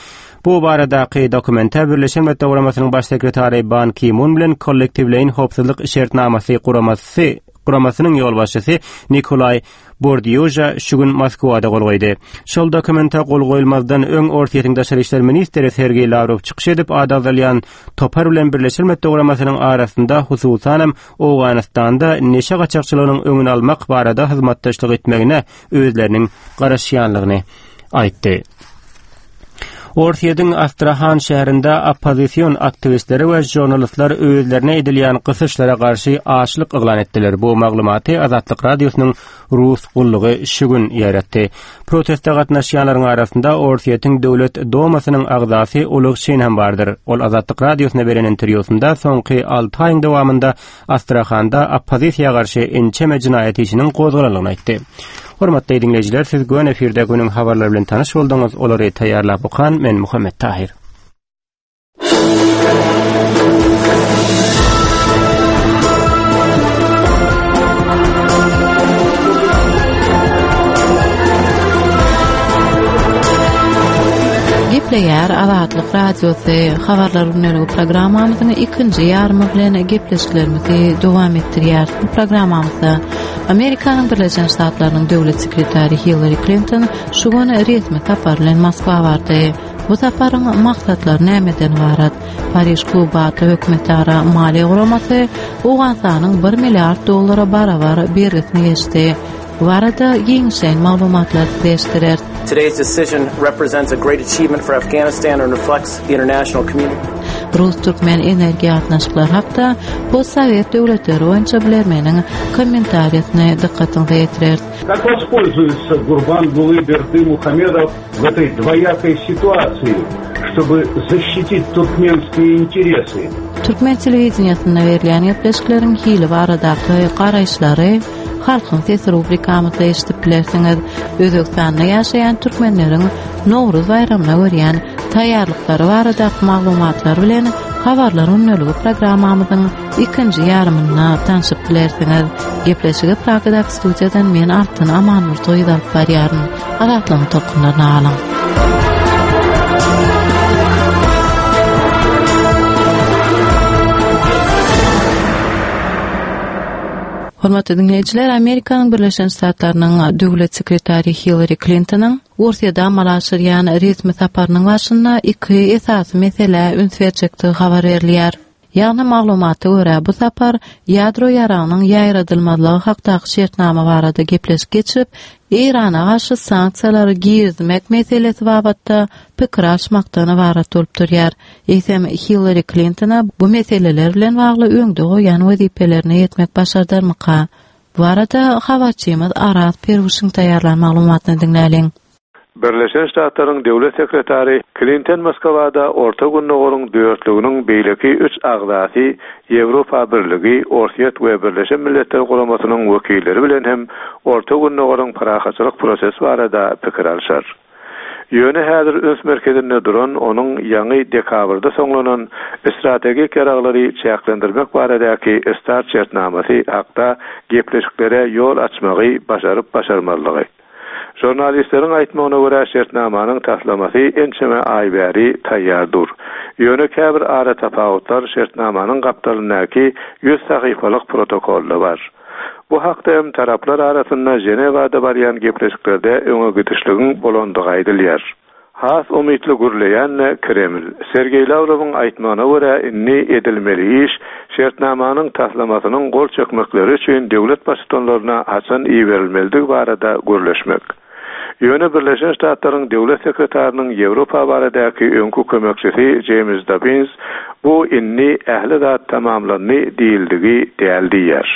B: Bu baradaky dokumente Birleşen Milletler Guramasynyň Baş sekretary Ban Ki-mun bilen Kollektiwleýin howpsuzlyk şertnamasy guramasy guramasynyň ýolbaşçysy Nikolaý Bordýuža şu gün Moskwada gol goýdy. Şol dokumente gol goýulmazdan öň Orsýetiň daşary işler ministri Sergeý Lawrow çykyş edip, ady agzalýan topar bilen Birleşen Milletler Guramasynyň arasynda, hususanam, Owganystanda neşe gaçakçylygynyň öňüni almak barada hyzmatdaşlyk etmegine özleriniň garaşýanlygyny aýtdy. Orsýetiň Astrahan şäherinde oppozision aktiwistleri we žurnalistler özlerine edilýän gysyşlara garşy açlyk yglan etdiler. Bu maglumaty Azatlyk Radiosynyň Rus gullugy şu gün ýaýratdy. Proteste gatnaşýanlaryň arasynda Orsýetiň Döwlet Dumasynyň agzasy Oleg Şin hem bardyr. Ol Azatlyk Radiosyna beren interwýusynda soňky alty aýyň dowamynda Astrahanda oppozisiýa garşy ençeme jenaýat işiniň gozgalandygyny aýtdy. Hormatly diňleýjiler, siz göni efirde günüň habarlary bilen tanyş bolduňyz. Olary taýýarlap okan men Muhammet Tahyr.
A: Gepleýär Azatlyk Radiosy Habarlar gündeligi programmamyzyň ikinji ýarymy bilen gepleşiklerimizi dowam etdirýäris. Bu programmamyzda Amerikanyň Birleşen Ştatlarynyň döwlet sekretary Hillari Klinton şu gün resmi sapar bilen Moskwa bardy. Bu saparyň maksatlary nämeden ybarat? Pariž kluby atly hökümetara maliýe guramasy Owganystanyň bir milliard dollara barabar bergisini geçdi. Bu barada giňişleýin maglumatlary size eşitdireris.
G: Today's decision represents a great achievement for Afghanistan and reflects the international community.
A: Rus-türkmen energiýa gatnaşyklary hakda postsowet döwletleri boýunça bilermeniň kommentariýasyny dykgatyňyza ýetireris.
P: Как воспользуется Гурбангулы Бердымухамедов в этой двоякой ситуации, чтобы защитить туркменские интересы?
A: Türkmen telewideniýesinde berilýän gepleşikleriň hili baradaky garaýyşlary Halkyň sesi rubrikamyzda eşidip bilersiňiz. Özbegistanda ýaşaýan türkmenleriň Nowruz baýramyna görýän taýýarlyklary baradaky maglumatlar bilen Habarlar gündeligi programmamyzyň ikinji ýarymynda tanşyp bilersiňiz. Gepleşigi Pragadaky studiýadan men Altyn Amanmurtoýewa alyp barýaryn. Azatlygyň tolkunlaryny alyň. Hormatly diňleýjiler, Amerikanyň Birleşen Ştatlarynyň Döwlet sekretary Hillari Klintonyň Orsýede amala aşyrýan resmi saparynyň barşynda iki esasy meselä üns berjekdigi habar berilýär. Ýagny maglumata görä, bu sapar ýadro ýaragynyň ýaýradylmazlygy hakdaky şertnama barada gepleşik geçirip, Eýrana garşy sanksiýalary girizmek meselesi babatda pikir alyşmakdan ybarat bolup durýar. Eýsem, Hillari Klintona bu meseleler bilen bagly öňde goýan wezipelerine ýetmek başardarmyka? Bu barada habarçymyz Araz Perwişiň taýýarlan maglumatyny diňläliň.
P: Birleşen Ştatlaryň Döwlet sekretary Klinton Moskwada Orta Gündogaryň dörtlüginiň beýleki üç agzasy Ýewropa Birligi, Orsýet we Birleşen Milletler Guramasynyň wekilleri bilen hem Orta Gündogaryň parahatçylyk prosesi barada pikir alşar. Ýöne häzir üns merkezinde duran onuň ýaňy dekabrda soňlanan strategik ýaraglary çäklendirmek baradaky START şertnamasy hakda gepleşiklere ýol açmagy başaryp-başarmazlygy. Žurnalistleriň aýtmagyna görä, şertnamanyň taslamasy ençeme aý bäri taýýar dur. Ýöne käbir aratapawutlar şertnamanyň gapdalyndaky ýüz sahypalyk protokolda bar. Bu hakda hem taraplar arasynda Ženewada barýan gepleşiklerde öňe gidişligiň bolandygy aýdylýar. Has umytly gürleýän-de Kreml. Sergeý Lawrowyň aýtmagyna görä, indi edilmeli iş, şertnamanyň taslamasynyň gol çekmekleri üçin döwlet baştutanlaryna haçan iberilmelidigi barada gürleşmek. Ýöne Birleşen Ştatlaryň Döwlet sekretarynyň Ýewropa baradaky öňki kömekçisi Jeýms Dobbins bu indi ähli zat tamamlandy diýildigi däl diýýär.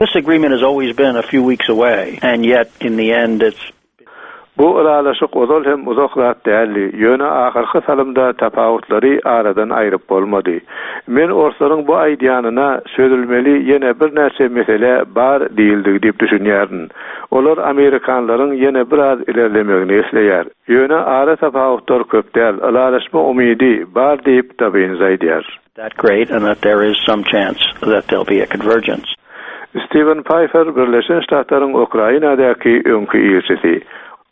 V: This agreement has always been a few weeks away and yet in the end it's
P: Bu ylalaşyk ozal hem uzak zat däldi, ýöne ahyrky salymda tapawutlary aradan aýryp bolmady. Men orslaryň bu aýdýanyna çözülmeli ýene birnäçe mesele bar diýildigi diýip düşünýärin. Olar amerikanlaryň ýene biraz ilerlemegini isleýär. Ýöne ara tapawutlar köp däl, ylalaşma umydy bar diýip, Dobbins aýdýar.
V: That great and that there is some chance that there'll be a convergence.
P: Stiwen Paýfer Birleşen Ştatlaryň Ukrainadaky öňki ilçisi.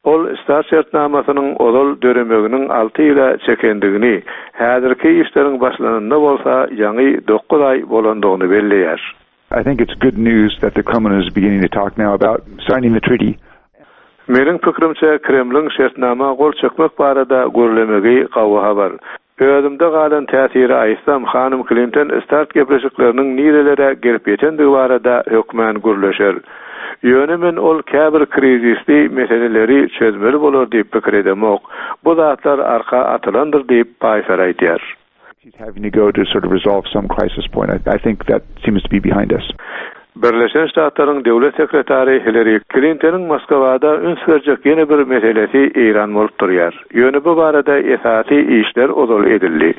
P: Ol START şertnamasynyň ozal döremeginiň alty ýyla çekendigini, häzirki işleriň başlananyna bolsa ýaňy dokuz aý bolandygyny belleýär.
W: I think it's good news that the Kremlin is beginning to talk now about signing the treaty.
P: Meniň pikirimçe, Kremliň şertnama gol çekmek barada gürlemegi gawy habar. Özümde galan täsiri aýtsam, hanym Klinton START gepleşikleriniň nirelere gelip ýetendigi barada hökmän gürleşer. Ýöne men ol käbir krizisli meseleleri çözmeli bolar diýip pikir edemok. Bu zatlar arka atylandyr diýip, Paýfer aýdýar. Birleşen Ştatlaryň Döwlet sekretary Hillari Klintonyň Moskwada üns berjek ýene bir meselesi Eýran bolup durýar. Ýöne bu barada esasy işler ozal edildi.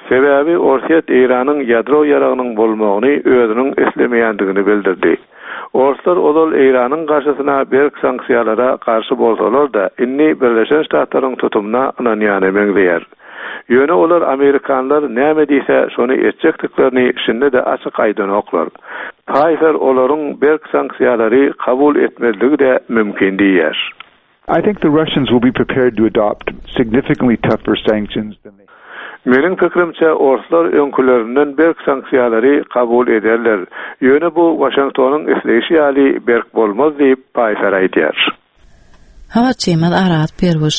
P: Sebäbi Orsýet Eýranyň ýadro ýaragynyň bolmagyny özüniň islemeýändigini bildirdi. Orslar ozal Eýranyň garşysyna berk sanksiýalara garşy bolsalar-da, indi Birleşen Ştatlaryň tutumyna ynanýana meňzeýär. Ýöne olar amerikanlar näme diýse şony etjekdiklerini şindi-de açyk aýdanoklar. Paýfer olaryň berk sanksiýalary kabul etmezligi-de mümkin diýýär.
W: I think the Russians will be prepared to adopt significantly tougher sanctions than they
P: Meniň pikirimçe, orslar öňkülerinden berk sanksiýalary kabul ederler. Ýöne bu Waşingtonyň isleýşi ýaly berk bolmaz diýip, Paýfer aýdýar.
A: Habarçymyz Araz Perwuş.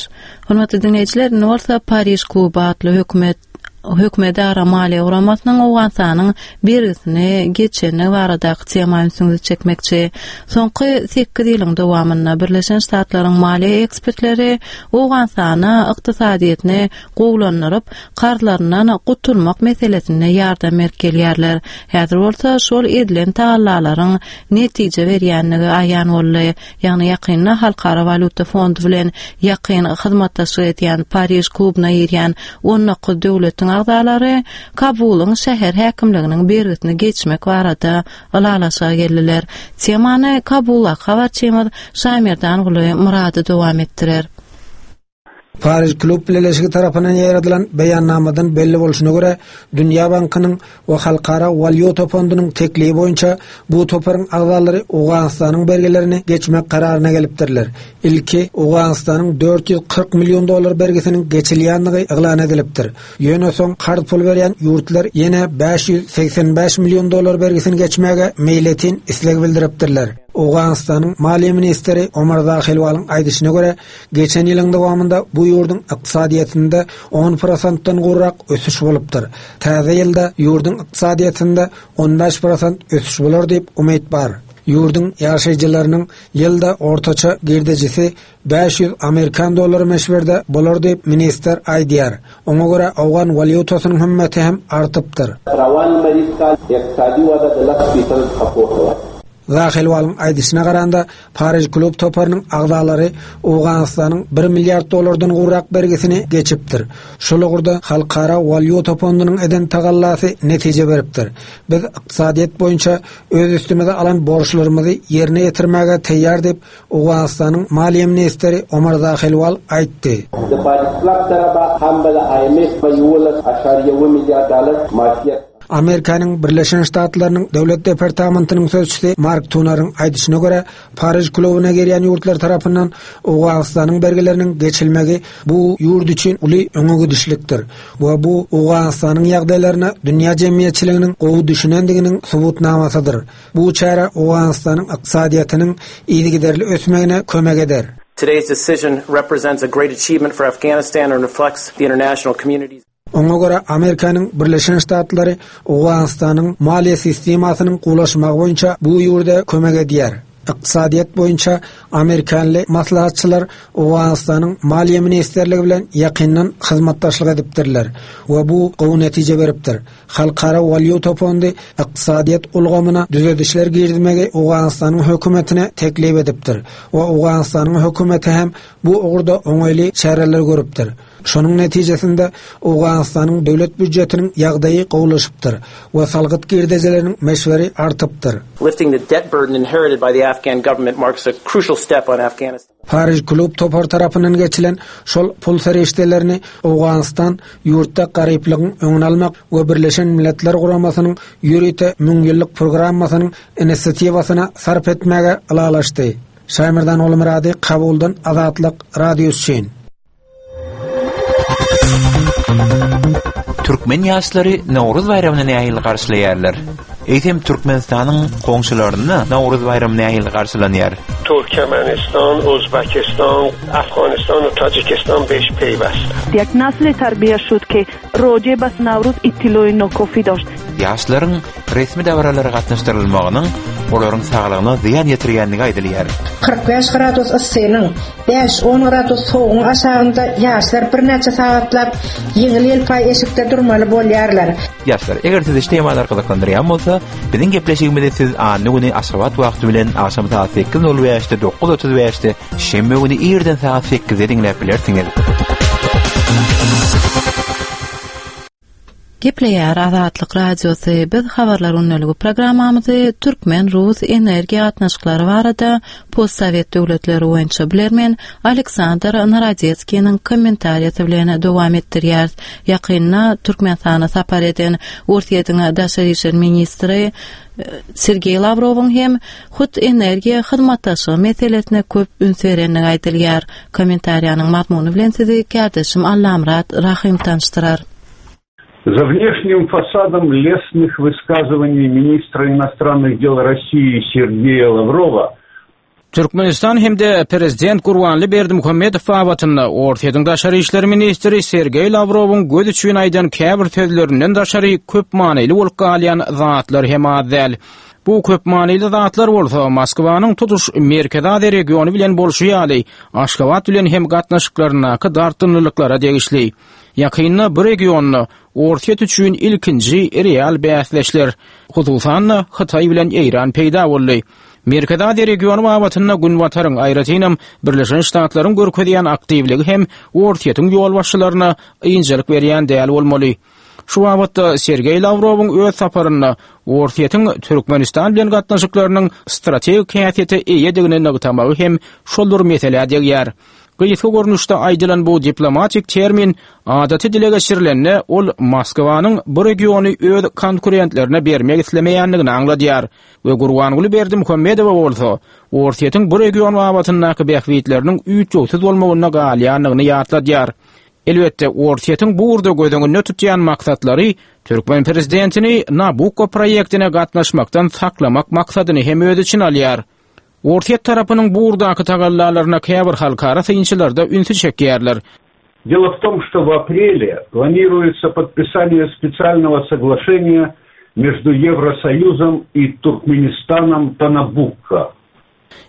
A: Hormatly diňleýjiler, indi bolsa Pariž kluby atly hökümet hökümetara maliýe guramasynyň Owganystanyň bergisini geçendigi baradaky tema ünsüňizi çekmekçi. Soňky sekiz ýylyň dowamynda Birleşen Ştatlaryň maliýe ekspertleri Owganystana ykdysadyýetini gowulandyryp, karzlaryndan gutulmak meselesinde ýardam berip gelýärler. Häzir bolsa şol edilen tagallalaryň netije berýändigi aýan boldy. Ýagny ýakynda Halkara walýuta fondy bilen ýakyn hyzmatdaşlyk edýän Pariž klubyna girýän 19 döwletiň agzalary Kabulyň şäher häkimliginiň bergisini geçmek barada ylalaşyga geldiler. Temany Kabuldaky habarçymyz Şaýmerdanguly Myrady dowam etdirer.
I: Pariž klub bileleşigi tarapyndan ýaýradylan beýannamadan belli bolşuna görä, Dünýä bankynyň we Halkara walýuta fondunyň teklibi boýunça bu toparyň agzalary Owganystanyň bergilerini geçmek kararyna gelipdirler. Ilki Owganystanyň 440 million dollar bergisiniň geçilýändigi yglan edilipdir. Ýöne soň karz pul berýän ýurtlar ýene 585 million dollar bergisini geçmäge meýletin isleg bildiripdirler. Owganystanyň maliýe ministri Omar Zahilwalyň aýdyşyna görä, Geçen ýylyň dowamynda bu ýurduň ykdysadyýetinde on prosentden gowrak ösüş bolupdyr. Täze ýylda ýurduň ykdysadyýetinde on bäş prosent ösüş bolar diýip umyt bar. Ýurduň ýaşaýjylarynyň ýylda ortaça girdejisi 500 amerikan dollary möçberde bolar diýip, ministr aýdýar. Oňa görä, owgan walýutasynyň hümmeti hem artypdyr.
D: Rowan lmeriz kal iqtisadi wada د لس فیصدو څخه پورته وه.
I: Zahelwalyň aýdyşyna garanda, Pariž klub toparynyň agzalary Owganystanyň bir milliard dollardan gowrak bergisini geçipdir. Şol ugurda Halkara walýuta fondunyň eden tagallasy netije beripdir. Biz ykdysadyýet boýunça öz üstümize alan borçlarymyzy ýerine ýetirmäge taýýar diýip, Owganystanyň maliýe ministri Omar Zahelwal aýtdy.
D: د پاریس کلب سره به هم به د آی ایم ایف په یوولس اعشاریه اووه میلیارد ډالر معافیت
I: Amerikanyň Birleşen Ştatlarynyň Döwlet departamentiniň sözçüsi Mark Tunaryň aýdyşyna görä, Pariž klubyna girýän ýurtlar tarapyndan Owganystanyň bergileriniň geçilmegi bu ýurt üçin uly öňe gidişlikdir we bu Owganystanyň ýagdaýlaryna dünýä jemgyýetçiliginiň gowy düşünendiginiň subutnamasydyr. Bu çäre Owganystanyň ykdysadyýetiniň yzygiderli ösmegine kömek eder.
G: Today's decision represents a great achievement for Afghanistan and reflects the international community's.
I: Oňa görä, Amerikanyň Birleşen Ştatlary Owganystanyň maliýe sistemasynyň gowulaşmagy boýunça bu ýurda kömek edýär. Ykdysadyýet boýunça amerikanly maslahatçylar Owganystanyň Maliýe ministrligi bilen ýakyndan hyzmatdaşlyk edipdirler we bu gowy netije beripdir. Halkara walýuta fondy ykdysadyýet ulgamyna düzedişler girizmegi Owganystanyň hökümetine teklip edipdir we Owganystanyň hökümeti hem bu ugurda oňaýly çäreler görüpdir. Şonuň netijesinde Owganystanyň döwlet býujetiniň ýagdaýy gowulaşypdyr we salgyt girdejileriniň möçberi artypdyr.
G: Lifting the debt burden inherited by the Afghan government marks a crucial step on Afghanistan's.
I: Pariž klub topary tarapyndan geçilen şol pul serişdelerini Owganystan ýurtda garyplygyň öňüni almak we Birleşen Milletler Guramasynyň ýörite müňýyllyk programmasynyň inisiatiwasyna sarp etmäge ylalaşdy. Şaýmerdan Ogulmyrady, Kabuldan Azatlyk Radiosy üçin.
F: Türkmen ýaşlary Nowruz baýramyny nähili garşylaýarlar? Eýsem Türkmenistanyň goňşularynda Nowruz baýramy nähili garşylanýar?
L: Türkmenistan, Özbekistan, Afganistan we Tajikistan beş peýwest.
K: Ýek nasli terbiýe şud ki roje bas Nowruz ittiloýi nokofi doşt.
F: Ýaşlaryň resmi dabaralara gatnaşdyrylmagynyň olaryň saglygyna zyýan ýetirýändigi aýdylýar.
H: 45 gradus yssynyň, bäş-on gradus sowugyň aşagynda ýaşlar birnäçe sagatlap ýeňil-ýelpaý eşikde durmaly bolýarlar.
F: Ýaşlar, eger sizi şu temalar gyzyklandyrýan bolsa, biziň gepleşigimizi siz anna güni Aşgabat wagty bilen agşam sagat sekiz nol bäşde, 9:35 bäşde, şenbe güni irden sagat sekizde diňläp bilersiňiz.
A: Gepleýär Azatlyk Radiosy, biz Habarlar gündeligi programmamyzy türkmen-rus energiýa gatnaşyklary barada postsowet döwletleri boýunça bilermen Aleksandr Narodetskiniň kommentariýasy bilen dowam etdirýäris. Ýakynda Türkmenistana sapar eden Orsýetiň daşary işler ministri Sergeý Lawrowyň hem hut energiýa hyzmatdaşlygy meselesine köp üns berendigi aýdylýar. Kommentariýanyň mazmuny bilen sizi kärdeşim Allamyrat Rahym tanyşdyrar.
P: За внешним фасадом лестных высказываний министра иностранных дел России Сергея Лаврова
E: Türkmenistan hem-de prezident Gurbanly Berdimuhamedow babatynda Orsýetiň daşary işler ministri Sergeý Lawrowyň göz üçin aýdan käbir sözlerinden daşary köp manyly bolup galýan zatlar hem az däl. Bu köp manyly zatlar bolsa Moskwanyň tutuş Merkezi Aziýa regiony bilen bolşy ýaly, Aşgabat bilen hem gatnaşyklaryndaky dartgynlylyklara degişli. Ýakynda bu regionda Orsýet üçin ilkinji real bäsdeşler, hususan-da, Hytaý bilen Eýran peýda boldy. Merkezi Aziýa regiony babatynda Günbataryň, aýratynam, Birleşen Ştatlaryň görkezýän aktiwligi hem Orsýetiň ýolbaşçylaryna ynjalyk berýän däl bolmaly. Şu babatda Sergeý Lawrowyň öz saparynda Orsýetiň Türkmenistan bilen gatnaşyklarynyň strategik häsiýete eýedigini nygtamagy hem şol bir meselä degýär. Gysga görnüşde aýdylan bu diplomatik termin adaty dile geçirilende, ol Moskwanyň bu regiony öz konkurentlerine bermek islemeýändigini aňladýar we Gurbanguly Berdimuhamedowa bolsa Orsýetiň bu region babatyndaky bähbitleriniň üýtgewsiz bolmagynda galýandygyny ýatladýar. Elbetde, Orsýetiň bu ugurda göz öňünde tutýan maksatlary türkmen prezidentini Nabukko proýektine gatnaşmakdan saklamak maksadyny hem öz içine alýar. Orsýet tarapynyň bu ugurdaky tagallalaryna käbir halkara synçylar-da ünsi çekýärler.
P: Дело в том, что в апреле планируется подписание специального соглашения между Евросоюзом и Туркменистаном по Набукко.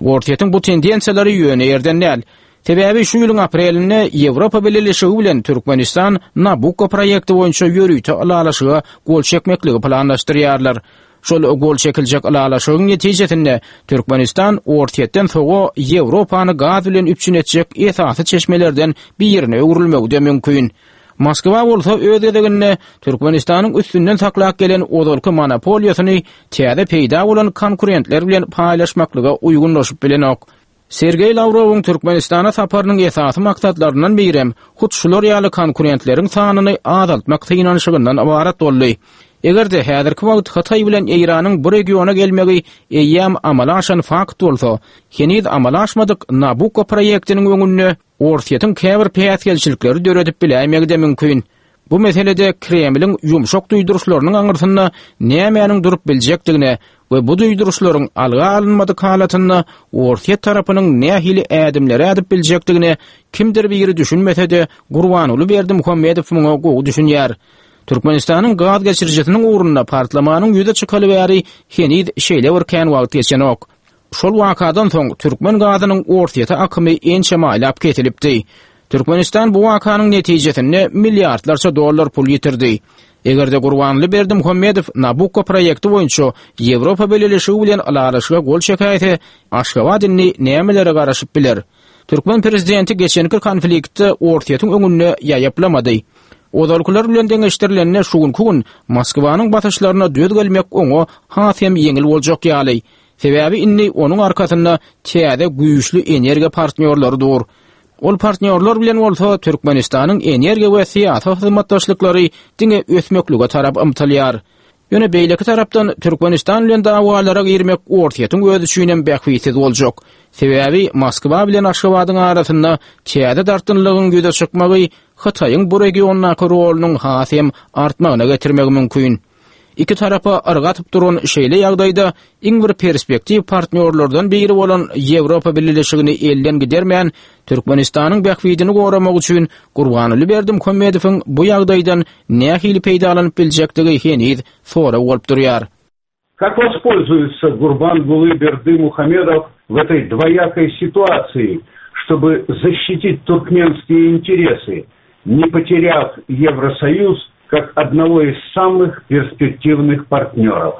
E: Orsýetiň bu tendensiýalary ýöne ýerden däl. Sebäbi şu ýylyň aprelinde Ýewropa Bileleşigi bilen Türkmenistan Nabukko proýekti boýunça ýörite ylalaşyga gol çekmekligi planlaşdyrýarlar. Şol gol çekiljek ylalaşygyň netijesinde Türkmenistan Orsýetden soga Ýewropany gaz bilen üpjün etjek esasy çeşmelerden birine öwrülmegi-de mümkin. Moskwa bolsa öz gezeginde Türkmenistanyň üstünden saklap gelen ozalky monopoliýasyny täze peýda bolan konkurentler bilen paýlaşmaklyga uýgunlaşyp bilenok. Sergeý Lawrowyň Türkmenistana saparynyň esasy maksatlaryndan birem hut şular ýaly konkurentleriň sanyny azaltmak synanyşygyndan ybarat boldy. Eger-de häzirki wagt Hytaý bilen Eýranyň bu regiona gelmegi eýýäm amala aşan fakt bolsa, heniz amala aşmadyk Nabukko proýektiniň öňünde Orsýetiň käbir päsgelçilikleri döredip biläýmegi-de mümkin. Bu meselede Kremliň ýumşak duýduryşlarynyň aňyrsynda nämäniň durup biljekdigine we bu duýduryşlaryň alga alynmadyk halatynda Orsýet tarapynyň nähili ädimleri ädip biljekdigine kimdir biri düşünmese-de, Gurbanguly Berdimuhamedow muňa gowy düşünýär. Türkmenistanyň gaz geçirijisiniň ugrunda partlamanyň ýüze çykaly bäri heniz şeýle bir kän wagt geçenok. Şol wakadan soň türkmen gazynyň Orsýete akymy ençeme aýlap kesilipdi. Türkmenistan bu wakanyň netijesinde milliardlarça dollar pul ýitirdi. Eger-de Gurbanguly Berdimuhamedow Nabukko proýekti boýunça Ýewropa Bileleşigi bilen ylalaşyga gol çekäýse, Aşgabat indi nämelere garaşyp biler? Türkmen prezidenti geçenki konfliktde Orsýetiň öňünde ýaýaplamady. Ozalkylar bilen deňeşdirilende şu günki gün Moskwanyň basyşlaryna döz gelmek oňa has hem ýeňil boljak ýaly. Sebäbi indi onuň arkasynda täze güýçli energiýa partnýorlary dur. Ol partnýorlar bilen bolsa Türkmenistanyň energiýa we syýasy hyzmatdaşlyklary diňe ösmeklige tarap ymtylýar. Ýöne beýleki tarapdan Türkmenistan bilen dawalara girmek Orsýetiň özi üçinem bähbitsiz boljak. Sebäbi Moskwa bilen Aşgabadyň arasynda täze dartgynlygyň ýüze çykmagy Hytaýyň bu regiondaky rolunyň has hem artmagyna getirmegi mümkin. Iki tarapa yrga atyp duran şeýle ýagdaýda iň bir perspektiw partnýorlardan biri bolan Ýewropa Bileleşigini elden gidermän, Türkmenistanyň bähbidini goramak üçin Gurbanguly Berdimuhamedowyň bu ýagdaýdan nähili peýdalanyp biljekdigi heniz sorag bolup durýar.
P: Как воспользуется Гурбангулы Бердымухамедов в этой двоякой ситуации, чтобы защитить туркменские интересы, не потеряв Евросоюз как одного из самых перспективных партнеров?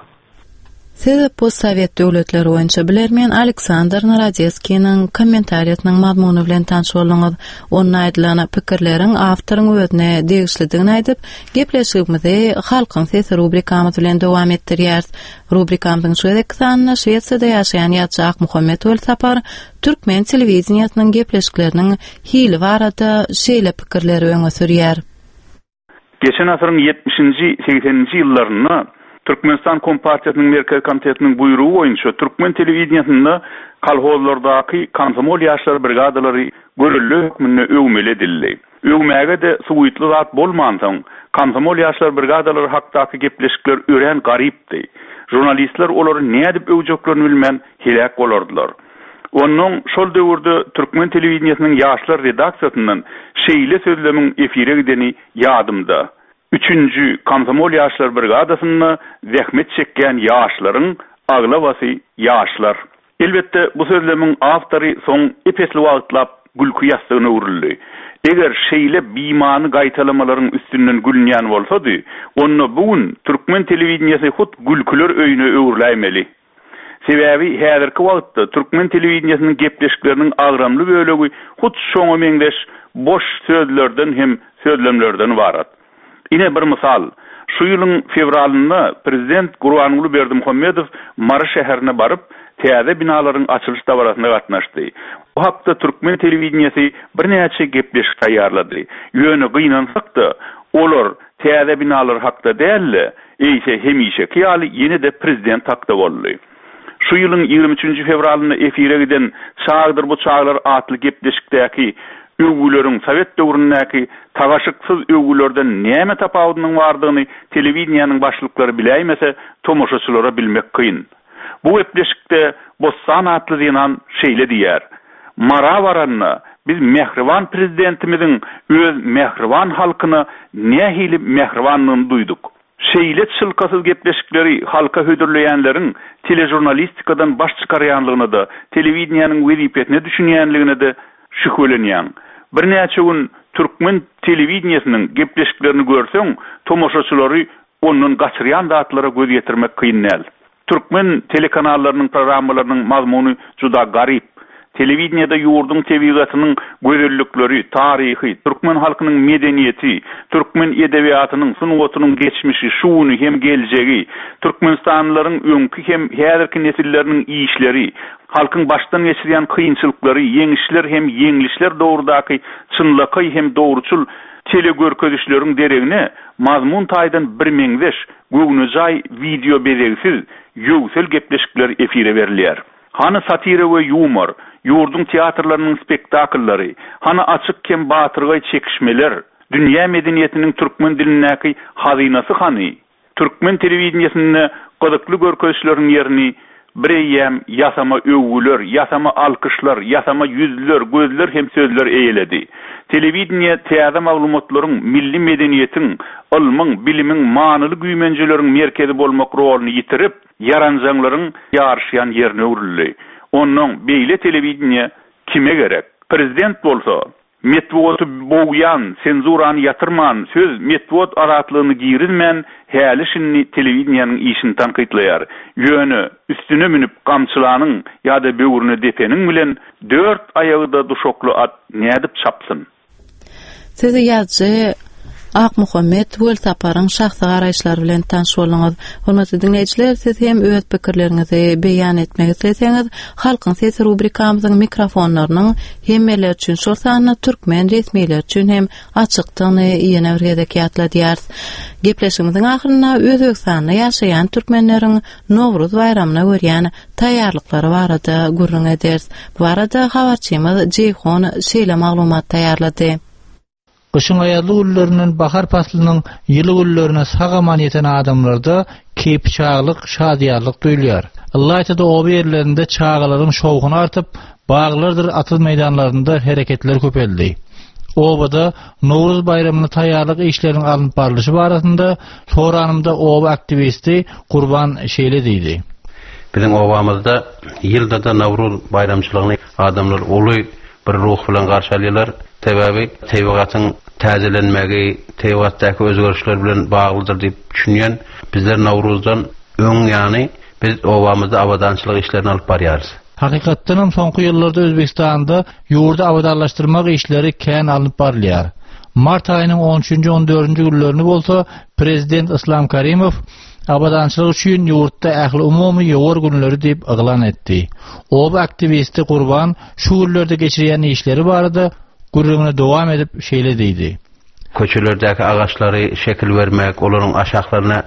A: Siz postsowet döwletleri boýunça bilermen Aleksandr Narodetskiniň kommentariýasynyň mazmuny bilen tanyş bolduňyz. Onda aýdylan pikirleriň awtoryň özüne degişlidigini aýdyp, gepleşigimizi Halkyň sesi rubrikamyz bilen dowam etdirýäris. Rubrikamyzyň şu gezekki sanynda Şwesiýada ýaşaýan ýazyjy Akmuhammet Welsapar türkmen telewideniýesiniň gepleşikleriniň hili barada şeýle pikirleri öňe sürýär.
J: Geçen asyryň ýetmişinji, segseninji ýyllarynda Türkmenistan Kompartiýasynyň Merkezi Komitetiniň buýrugy boýunça türkmen telewideniýesinde kolhozlardaky komsomol ýaşlar brigadalary görelde hökmünde öwmeli edildi. Öwmäge-de suwytly zat bolmansoň, komsomol ýaşlar brigadalary hakdaky gepleşikler örän garypdy. Žurnalistler olary nädip öwjeklerini bilmän heläk bolardylar. Onnoň şol döwürde türkmen telewideniýesiniň ýaşlar redaksiýasyndan şeýle sözlemiň efire gideni ýadymda, Üçünji komsomol ýaşlar brigadasynda zähmet çekýän ýaşlaryň aglabasy ýaşlar. Elbetde, bu sözlemiň awtory soň ep-esli wagtlap gülki ýassygyna öwrüldi. Eger şeýle bimany gaýtalamalaryň üstünden gülünýän bolsady, onda bu gün türkmen telewideniýesi hut gülküler öýüne öwrüläýmeli. Sebäbi häzirki wagtda türkmen telewideniýesiniň gepleşikleriniň agramly bölegi hut şoňa meňzeş boş sözlerden hem sözlemlerden ybarat. Ine bir mysal, şu ýylyň fewralynda prezident Gurbanguly Berdimuhamedow Mary şäherine baryp, täze binalaryň açylyş dabarasyna gatnaşdy. Bu hakda türkmen telewideniýesi birnäçe gepleşik taýýarlady. Ýöne gynansak-da, olar täze binalar hakda däl-de, Eýse, hemişeki ýaly ýene-de prezident hakda boldy. Şu ýylyň 23 nji fewralynda efire giden Çagdyr bu çaglar atly gepleşikdäki öwgüleriň sowet döwründäki tagaşyksyz öwgülerden näme tapawudynyň bardygyny telewideniýäniň başlyklary biläýmese, tomaşaçylara bilmek kyn. Bu gepleşikde Bossan atly zenan şeýle diýýär, Mara baranda biz mähriban Prezidentimiziň öz mähriban halkyna nähili mähribandygyny duýduk. Şeýle çylkasyz gepleşikleri halka hödürleýänleriň teležurnalistikadan baş çykarýanlygyna-da, telewideniýäniň wezipesine düşünýänligine-de şübhelenýäň. Birnäçe gün türkmen telewideniýesiniň gepleşiklerini görseň, tomaşaçylary ondan gaçyrýan zatlara göz ýetirmek kyn däl. Türkmen telekanallarynyň programmalarynyň mazmuny juda garyp. Telewideniýede ýurduň tebigatynyň gözellikleri, taryhy, türkmen halkynyň medeniýeti, türkmen edebiýatynyň, sungatynyň geçmişi, şu güni hem geljegi, türkmenistanlylaryň öňki hem häzirki nesilleriniň işleri, halkyň başdan geçirýän kynçylyklary, ýeňişler hem ýeňlişler dogrudaky çynlakaý hem dogruçyl telegörkezişleriň deregine mazmun taýdan birmeňzeş, göwnejaý wideobezegsiz, ýöwsel gepleşikler efire berilýär. Hany satira we ýumor, ýurduň teatrlarynyň spektakllary, hany açyk hem batyrgaý çekişmeler, dünýä medeniýetiniň türkmen dilindäki hazynasy hany? Türkmen telewideniýesinde gyzykly görkezişleriň ýerini Bireýýäm ýasama öwgüler, ýasama alkyşlar, ýasama ýüzler, gözler hem sözler eýeledi. Telewideniýe täze maglumatlaryň, milli medeniýetiň, ylmyň, bilimiň, manyly güýmenjeleriň merkezi bolmak roluny ýitirip, ýaranjaňlaryň ýaryşýan ýerine öwrüldi. Onnoň beýle telewideniýe kime gerek? Prezident bolsa, Metbugaty bogýan, senzurany ýatyrman, söz, metbugat azatlygyny girizmän, häli-şindi telewideniýäniň işini tankytlaýar. Ýöne, üstüne münüp gamçylanyň ýa-da böwrüne depeniň bilen dört aýagy-da duşakly at nädip çapsyn?
A: Siz ýazyjy Akmuhammet Welsaparyň şahsy garaýyşlary bilen tanyş bolduňyz. Hormatly diňleýjiler, siz hem öz pikirleriňizi beýan etmek isleseňiz, Halkyň sesi rubrikamyzyň mikrofonlarynyň hemmeler üçin, şol sanda türkmen resmileri üçin hem açykdygyny ýene bir gezek ýatladýarys. Gepleşigimiziň ahyrynda Özbegistanda ýaşaýan türkmenleriň Nowruz baýramyna görýän taýýarlyklary barada gürrüň ederis. Bu barada habarçymyz Jeýhun şeýle maglumat taýýarlady.
N: Gyşyň aýazly günlerinden bahar paslynyň ýyly günlerine sag-aman ýeten adamlarda keýpiçaglyk, şadyýanlyk duýulýar. Ylaýta-da oba ýerlerinde çagalaryň şowhuny artyp, baglardyr atyz-meýdanlarynda hereketler köpeldi. Obada Nowruz baýramyna taýýarlyk işleriniň alnyp barlyşy barasynda soranymda oba aktiwisti Gurban şeýle diýdi.
O: Biziň obamyzda ýylda-da Nowruz baýramçylygyny adamlar uly bir ruh bilen garşy alýarlar. Sebäbi tebigatyň täzelenmegi, tebigatdaky özgerişler bilen baglydyr diýip düşünýän. Bizler Nowruzdan öň ýany. Biz obamyzda abadançylyk işlerini alyp barýarys.
N: Hakykatdanam soňky ýyllarda Özbegistanda ýurdy abadanlaşdyrmak işleri kän alnyp barylýar. Mart aýynyň on üçünji, on dördünji günlerini bolsa prezident Yslam Karimow abadançylyk üçin ýurtda ähliumumy ýowar günleri diýip yglan etdi. Oba aktiwisti Gurban şu günlerde geçirýän işleri barada gürrüňini dowam edip şeýle diýdi.
O: Köçelerdäki agaçlary şekil bermek, olaryň aşaklaryna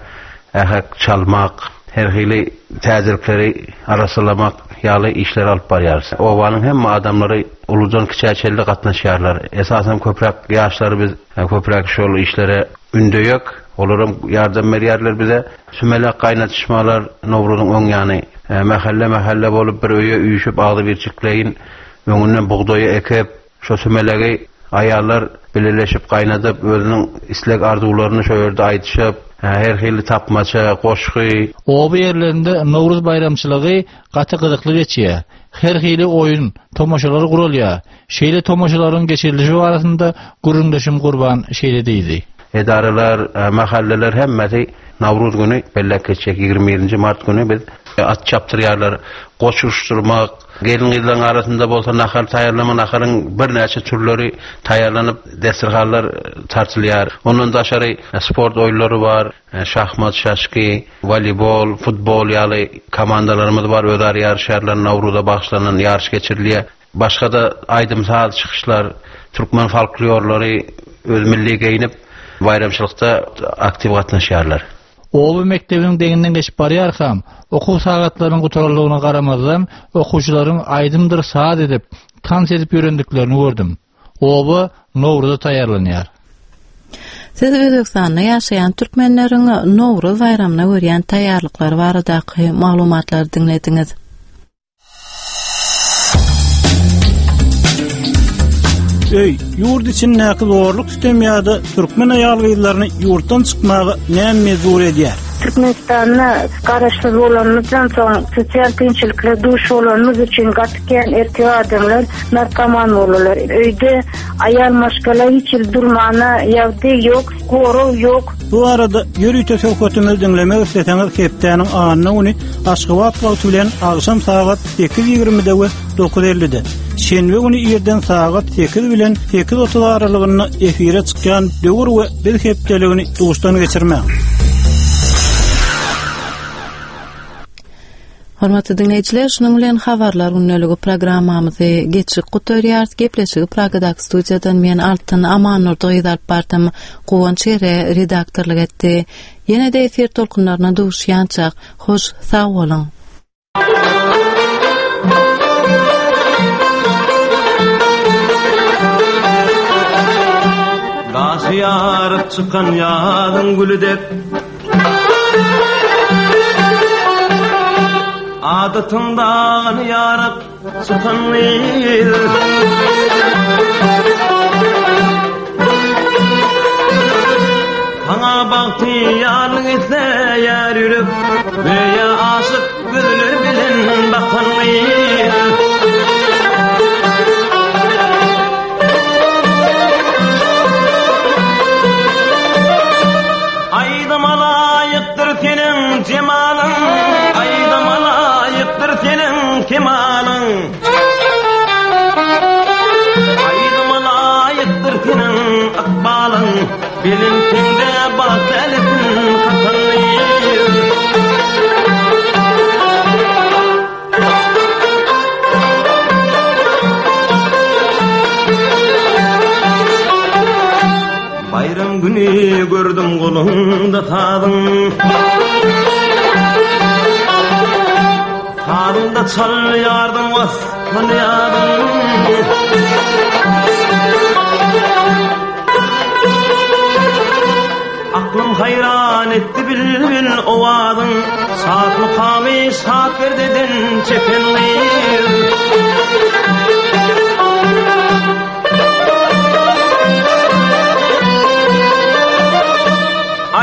O: ähek çalmak, her hili täzelikleri arassalamak ýaly işleri alyp barýarys. Obanyň hemme adamlary uludan kiçä çenli gatnaşýarlar. Esasan köpräk ýaşlary biz köpräk şol işlere ündeýek. Olaram ýardam berýärler bize. Sümelek gaýnadyşmalar Nowruzyň öň ýany mähelle-mähelle bolup bir öýe üýşüp agzybirçikleýin öňünden bugdaýy ekip, Şo sümelegi aýallar bileleşip gaýnadyp, özüniň isleg-arzuwlaryny şo ýerde aýdyşyp, her hili tapmaça, goşgy.
N: Oba ýerlerinde Nowruz baýramçylygy gaty gyzykly geçýär. Her hili oýun, tomaşalar guralýar. Şeýle tomaşalaryň geçirilişi barasynda gürrüňdeşim Gurban şeýle diýdi.
O: Edaralar, mahalleler hemmesi Nowruz güni belläp geçjek. 21-nji mart güni biz at çapdyrýarlar, goç uruşdyrmak, Gelin-gyzlaryň arasynda bolsa nahar taýýarlama, naharyň birnäçe türleri taýýarlanyp, desterhanlar tartylýar. Ondan daşary sport oýunlary bar, şahmat, şaşki, woleýbol, futbol ýaly komandalarymyz bar, özara ýaryşýarlar, Nowruza bagyşlanan ýaryş geçirilýär. Başga-da aýdym-saz çykyşlar, türkmen folklorlary öz milli geýnip, baýramçylykda aktiw gatnaşýarlar.
N: Oba mekdebiniň deňinden geçip barýarkam, okuw sagatlarynyň gutaranlygyna garamazdan, okuwçylaryň aýdymdyr saz edip, tans edip ýörendiklerini gördüm. Oba Nowruza taýýarlanýar.
A: Siz Özbegistanda ýaşaýan türkmenleriň Nowruz baýramyna görýän taýýarlyklary baradaky maglumatlary diňlediňiz.
C: Öý, ýurt içindäki zorluk sütem ýa-da türkmen aýal-gyzlaryny ýurtdan çykmaga näme mejbur edýär?
M: Türkmenistanda garaşsyz bolanymyzdan soň sosial kynçylyklara duş bolanymyz üçin gaty kän erkek adamlar narkoman boldular. Öýde aýal maşgala hiç hili durmana ýagdaý ýok, gorag ýok.
C: Bu barada ýörite söhbetimizi diňlemek isleseňiz hepdäniň anna güni Aşgabat wagty bilen agşam sagat 8:20-de we 9:50-de, şenbe güni irden sagat 8 bilen 8:30 aralygynda efire çykýan Döwür we biz hepdeligini duşdan geçirmäň.
A: Hormatly diňleýjiler, şunuň bilen Habarlar gündeligi programmamyzy geçip gutarýarys. Gepleşigi Pragadaky studiýadan men Altyn Amannurdy gyz alyp bardym. Guwanç Ere redaktorlyk etdi. Ýene-de efir tolkunlaryna duşýançak, hoş sag boluň!
R: Daşy ýaryp çykan ýazyň güli dek Adatyň dagyny ýaryp çykan gyz Saňa bagtyýarlyk isleýär ýürek Göýä aşyk gözler bilen bakan gyz Aýdyma laýykdyr seniň jemalyň, Aýdyma laýykdyr seniň kemalyň. Aýdyma laýykdyr seniň ykbalyň, Belentinde bagt älesin kakan gyz. Baýram güni gördüm goluňda sazyň Sazyňda çalýardyň waspyn ýazyň Aklym haýran etdi bilbil owazyň Şat mukamy şat perdeden çeken gyz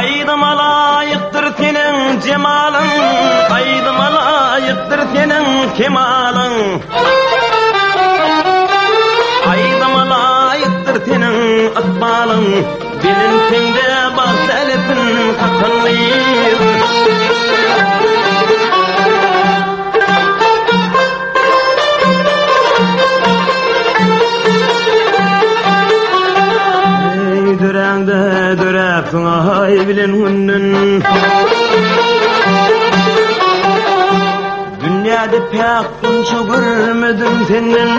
R: Aýdyma laýykdyr seniň jemalyň Aýdyma laýykdyr seniň kemalyň Aýdyma laýykdyr seniň ykbalyň Belentinde bagt älesin kakan gyz. Dünýäde päk gunça görmedim senden.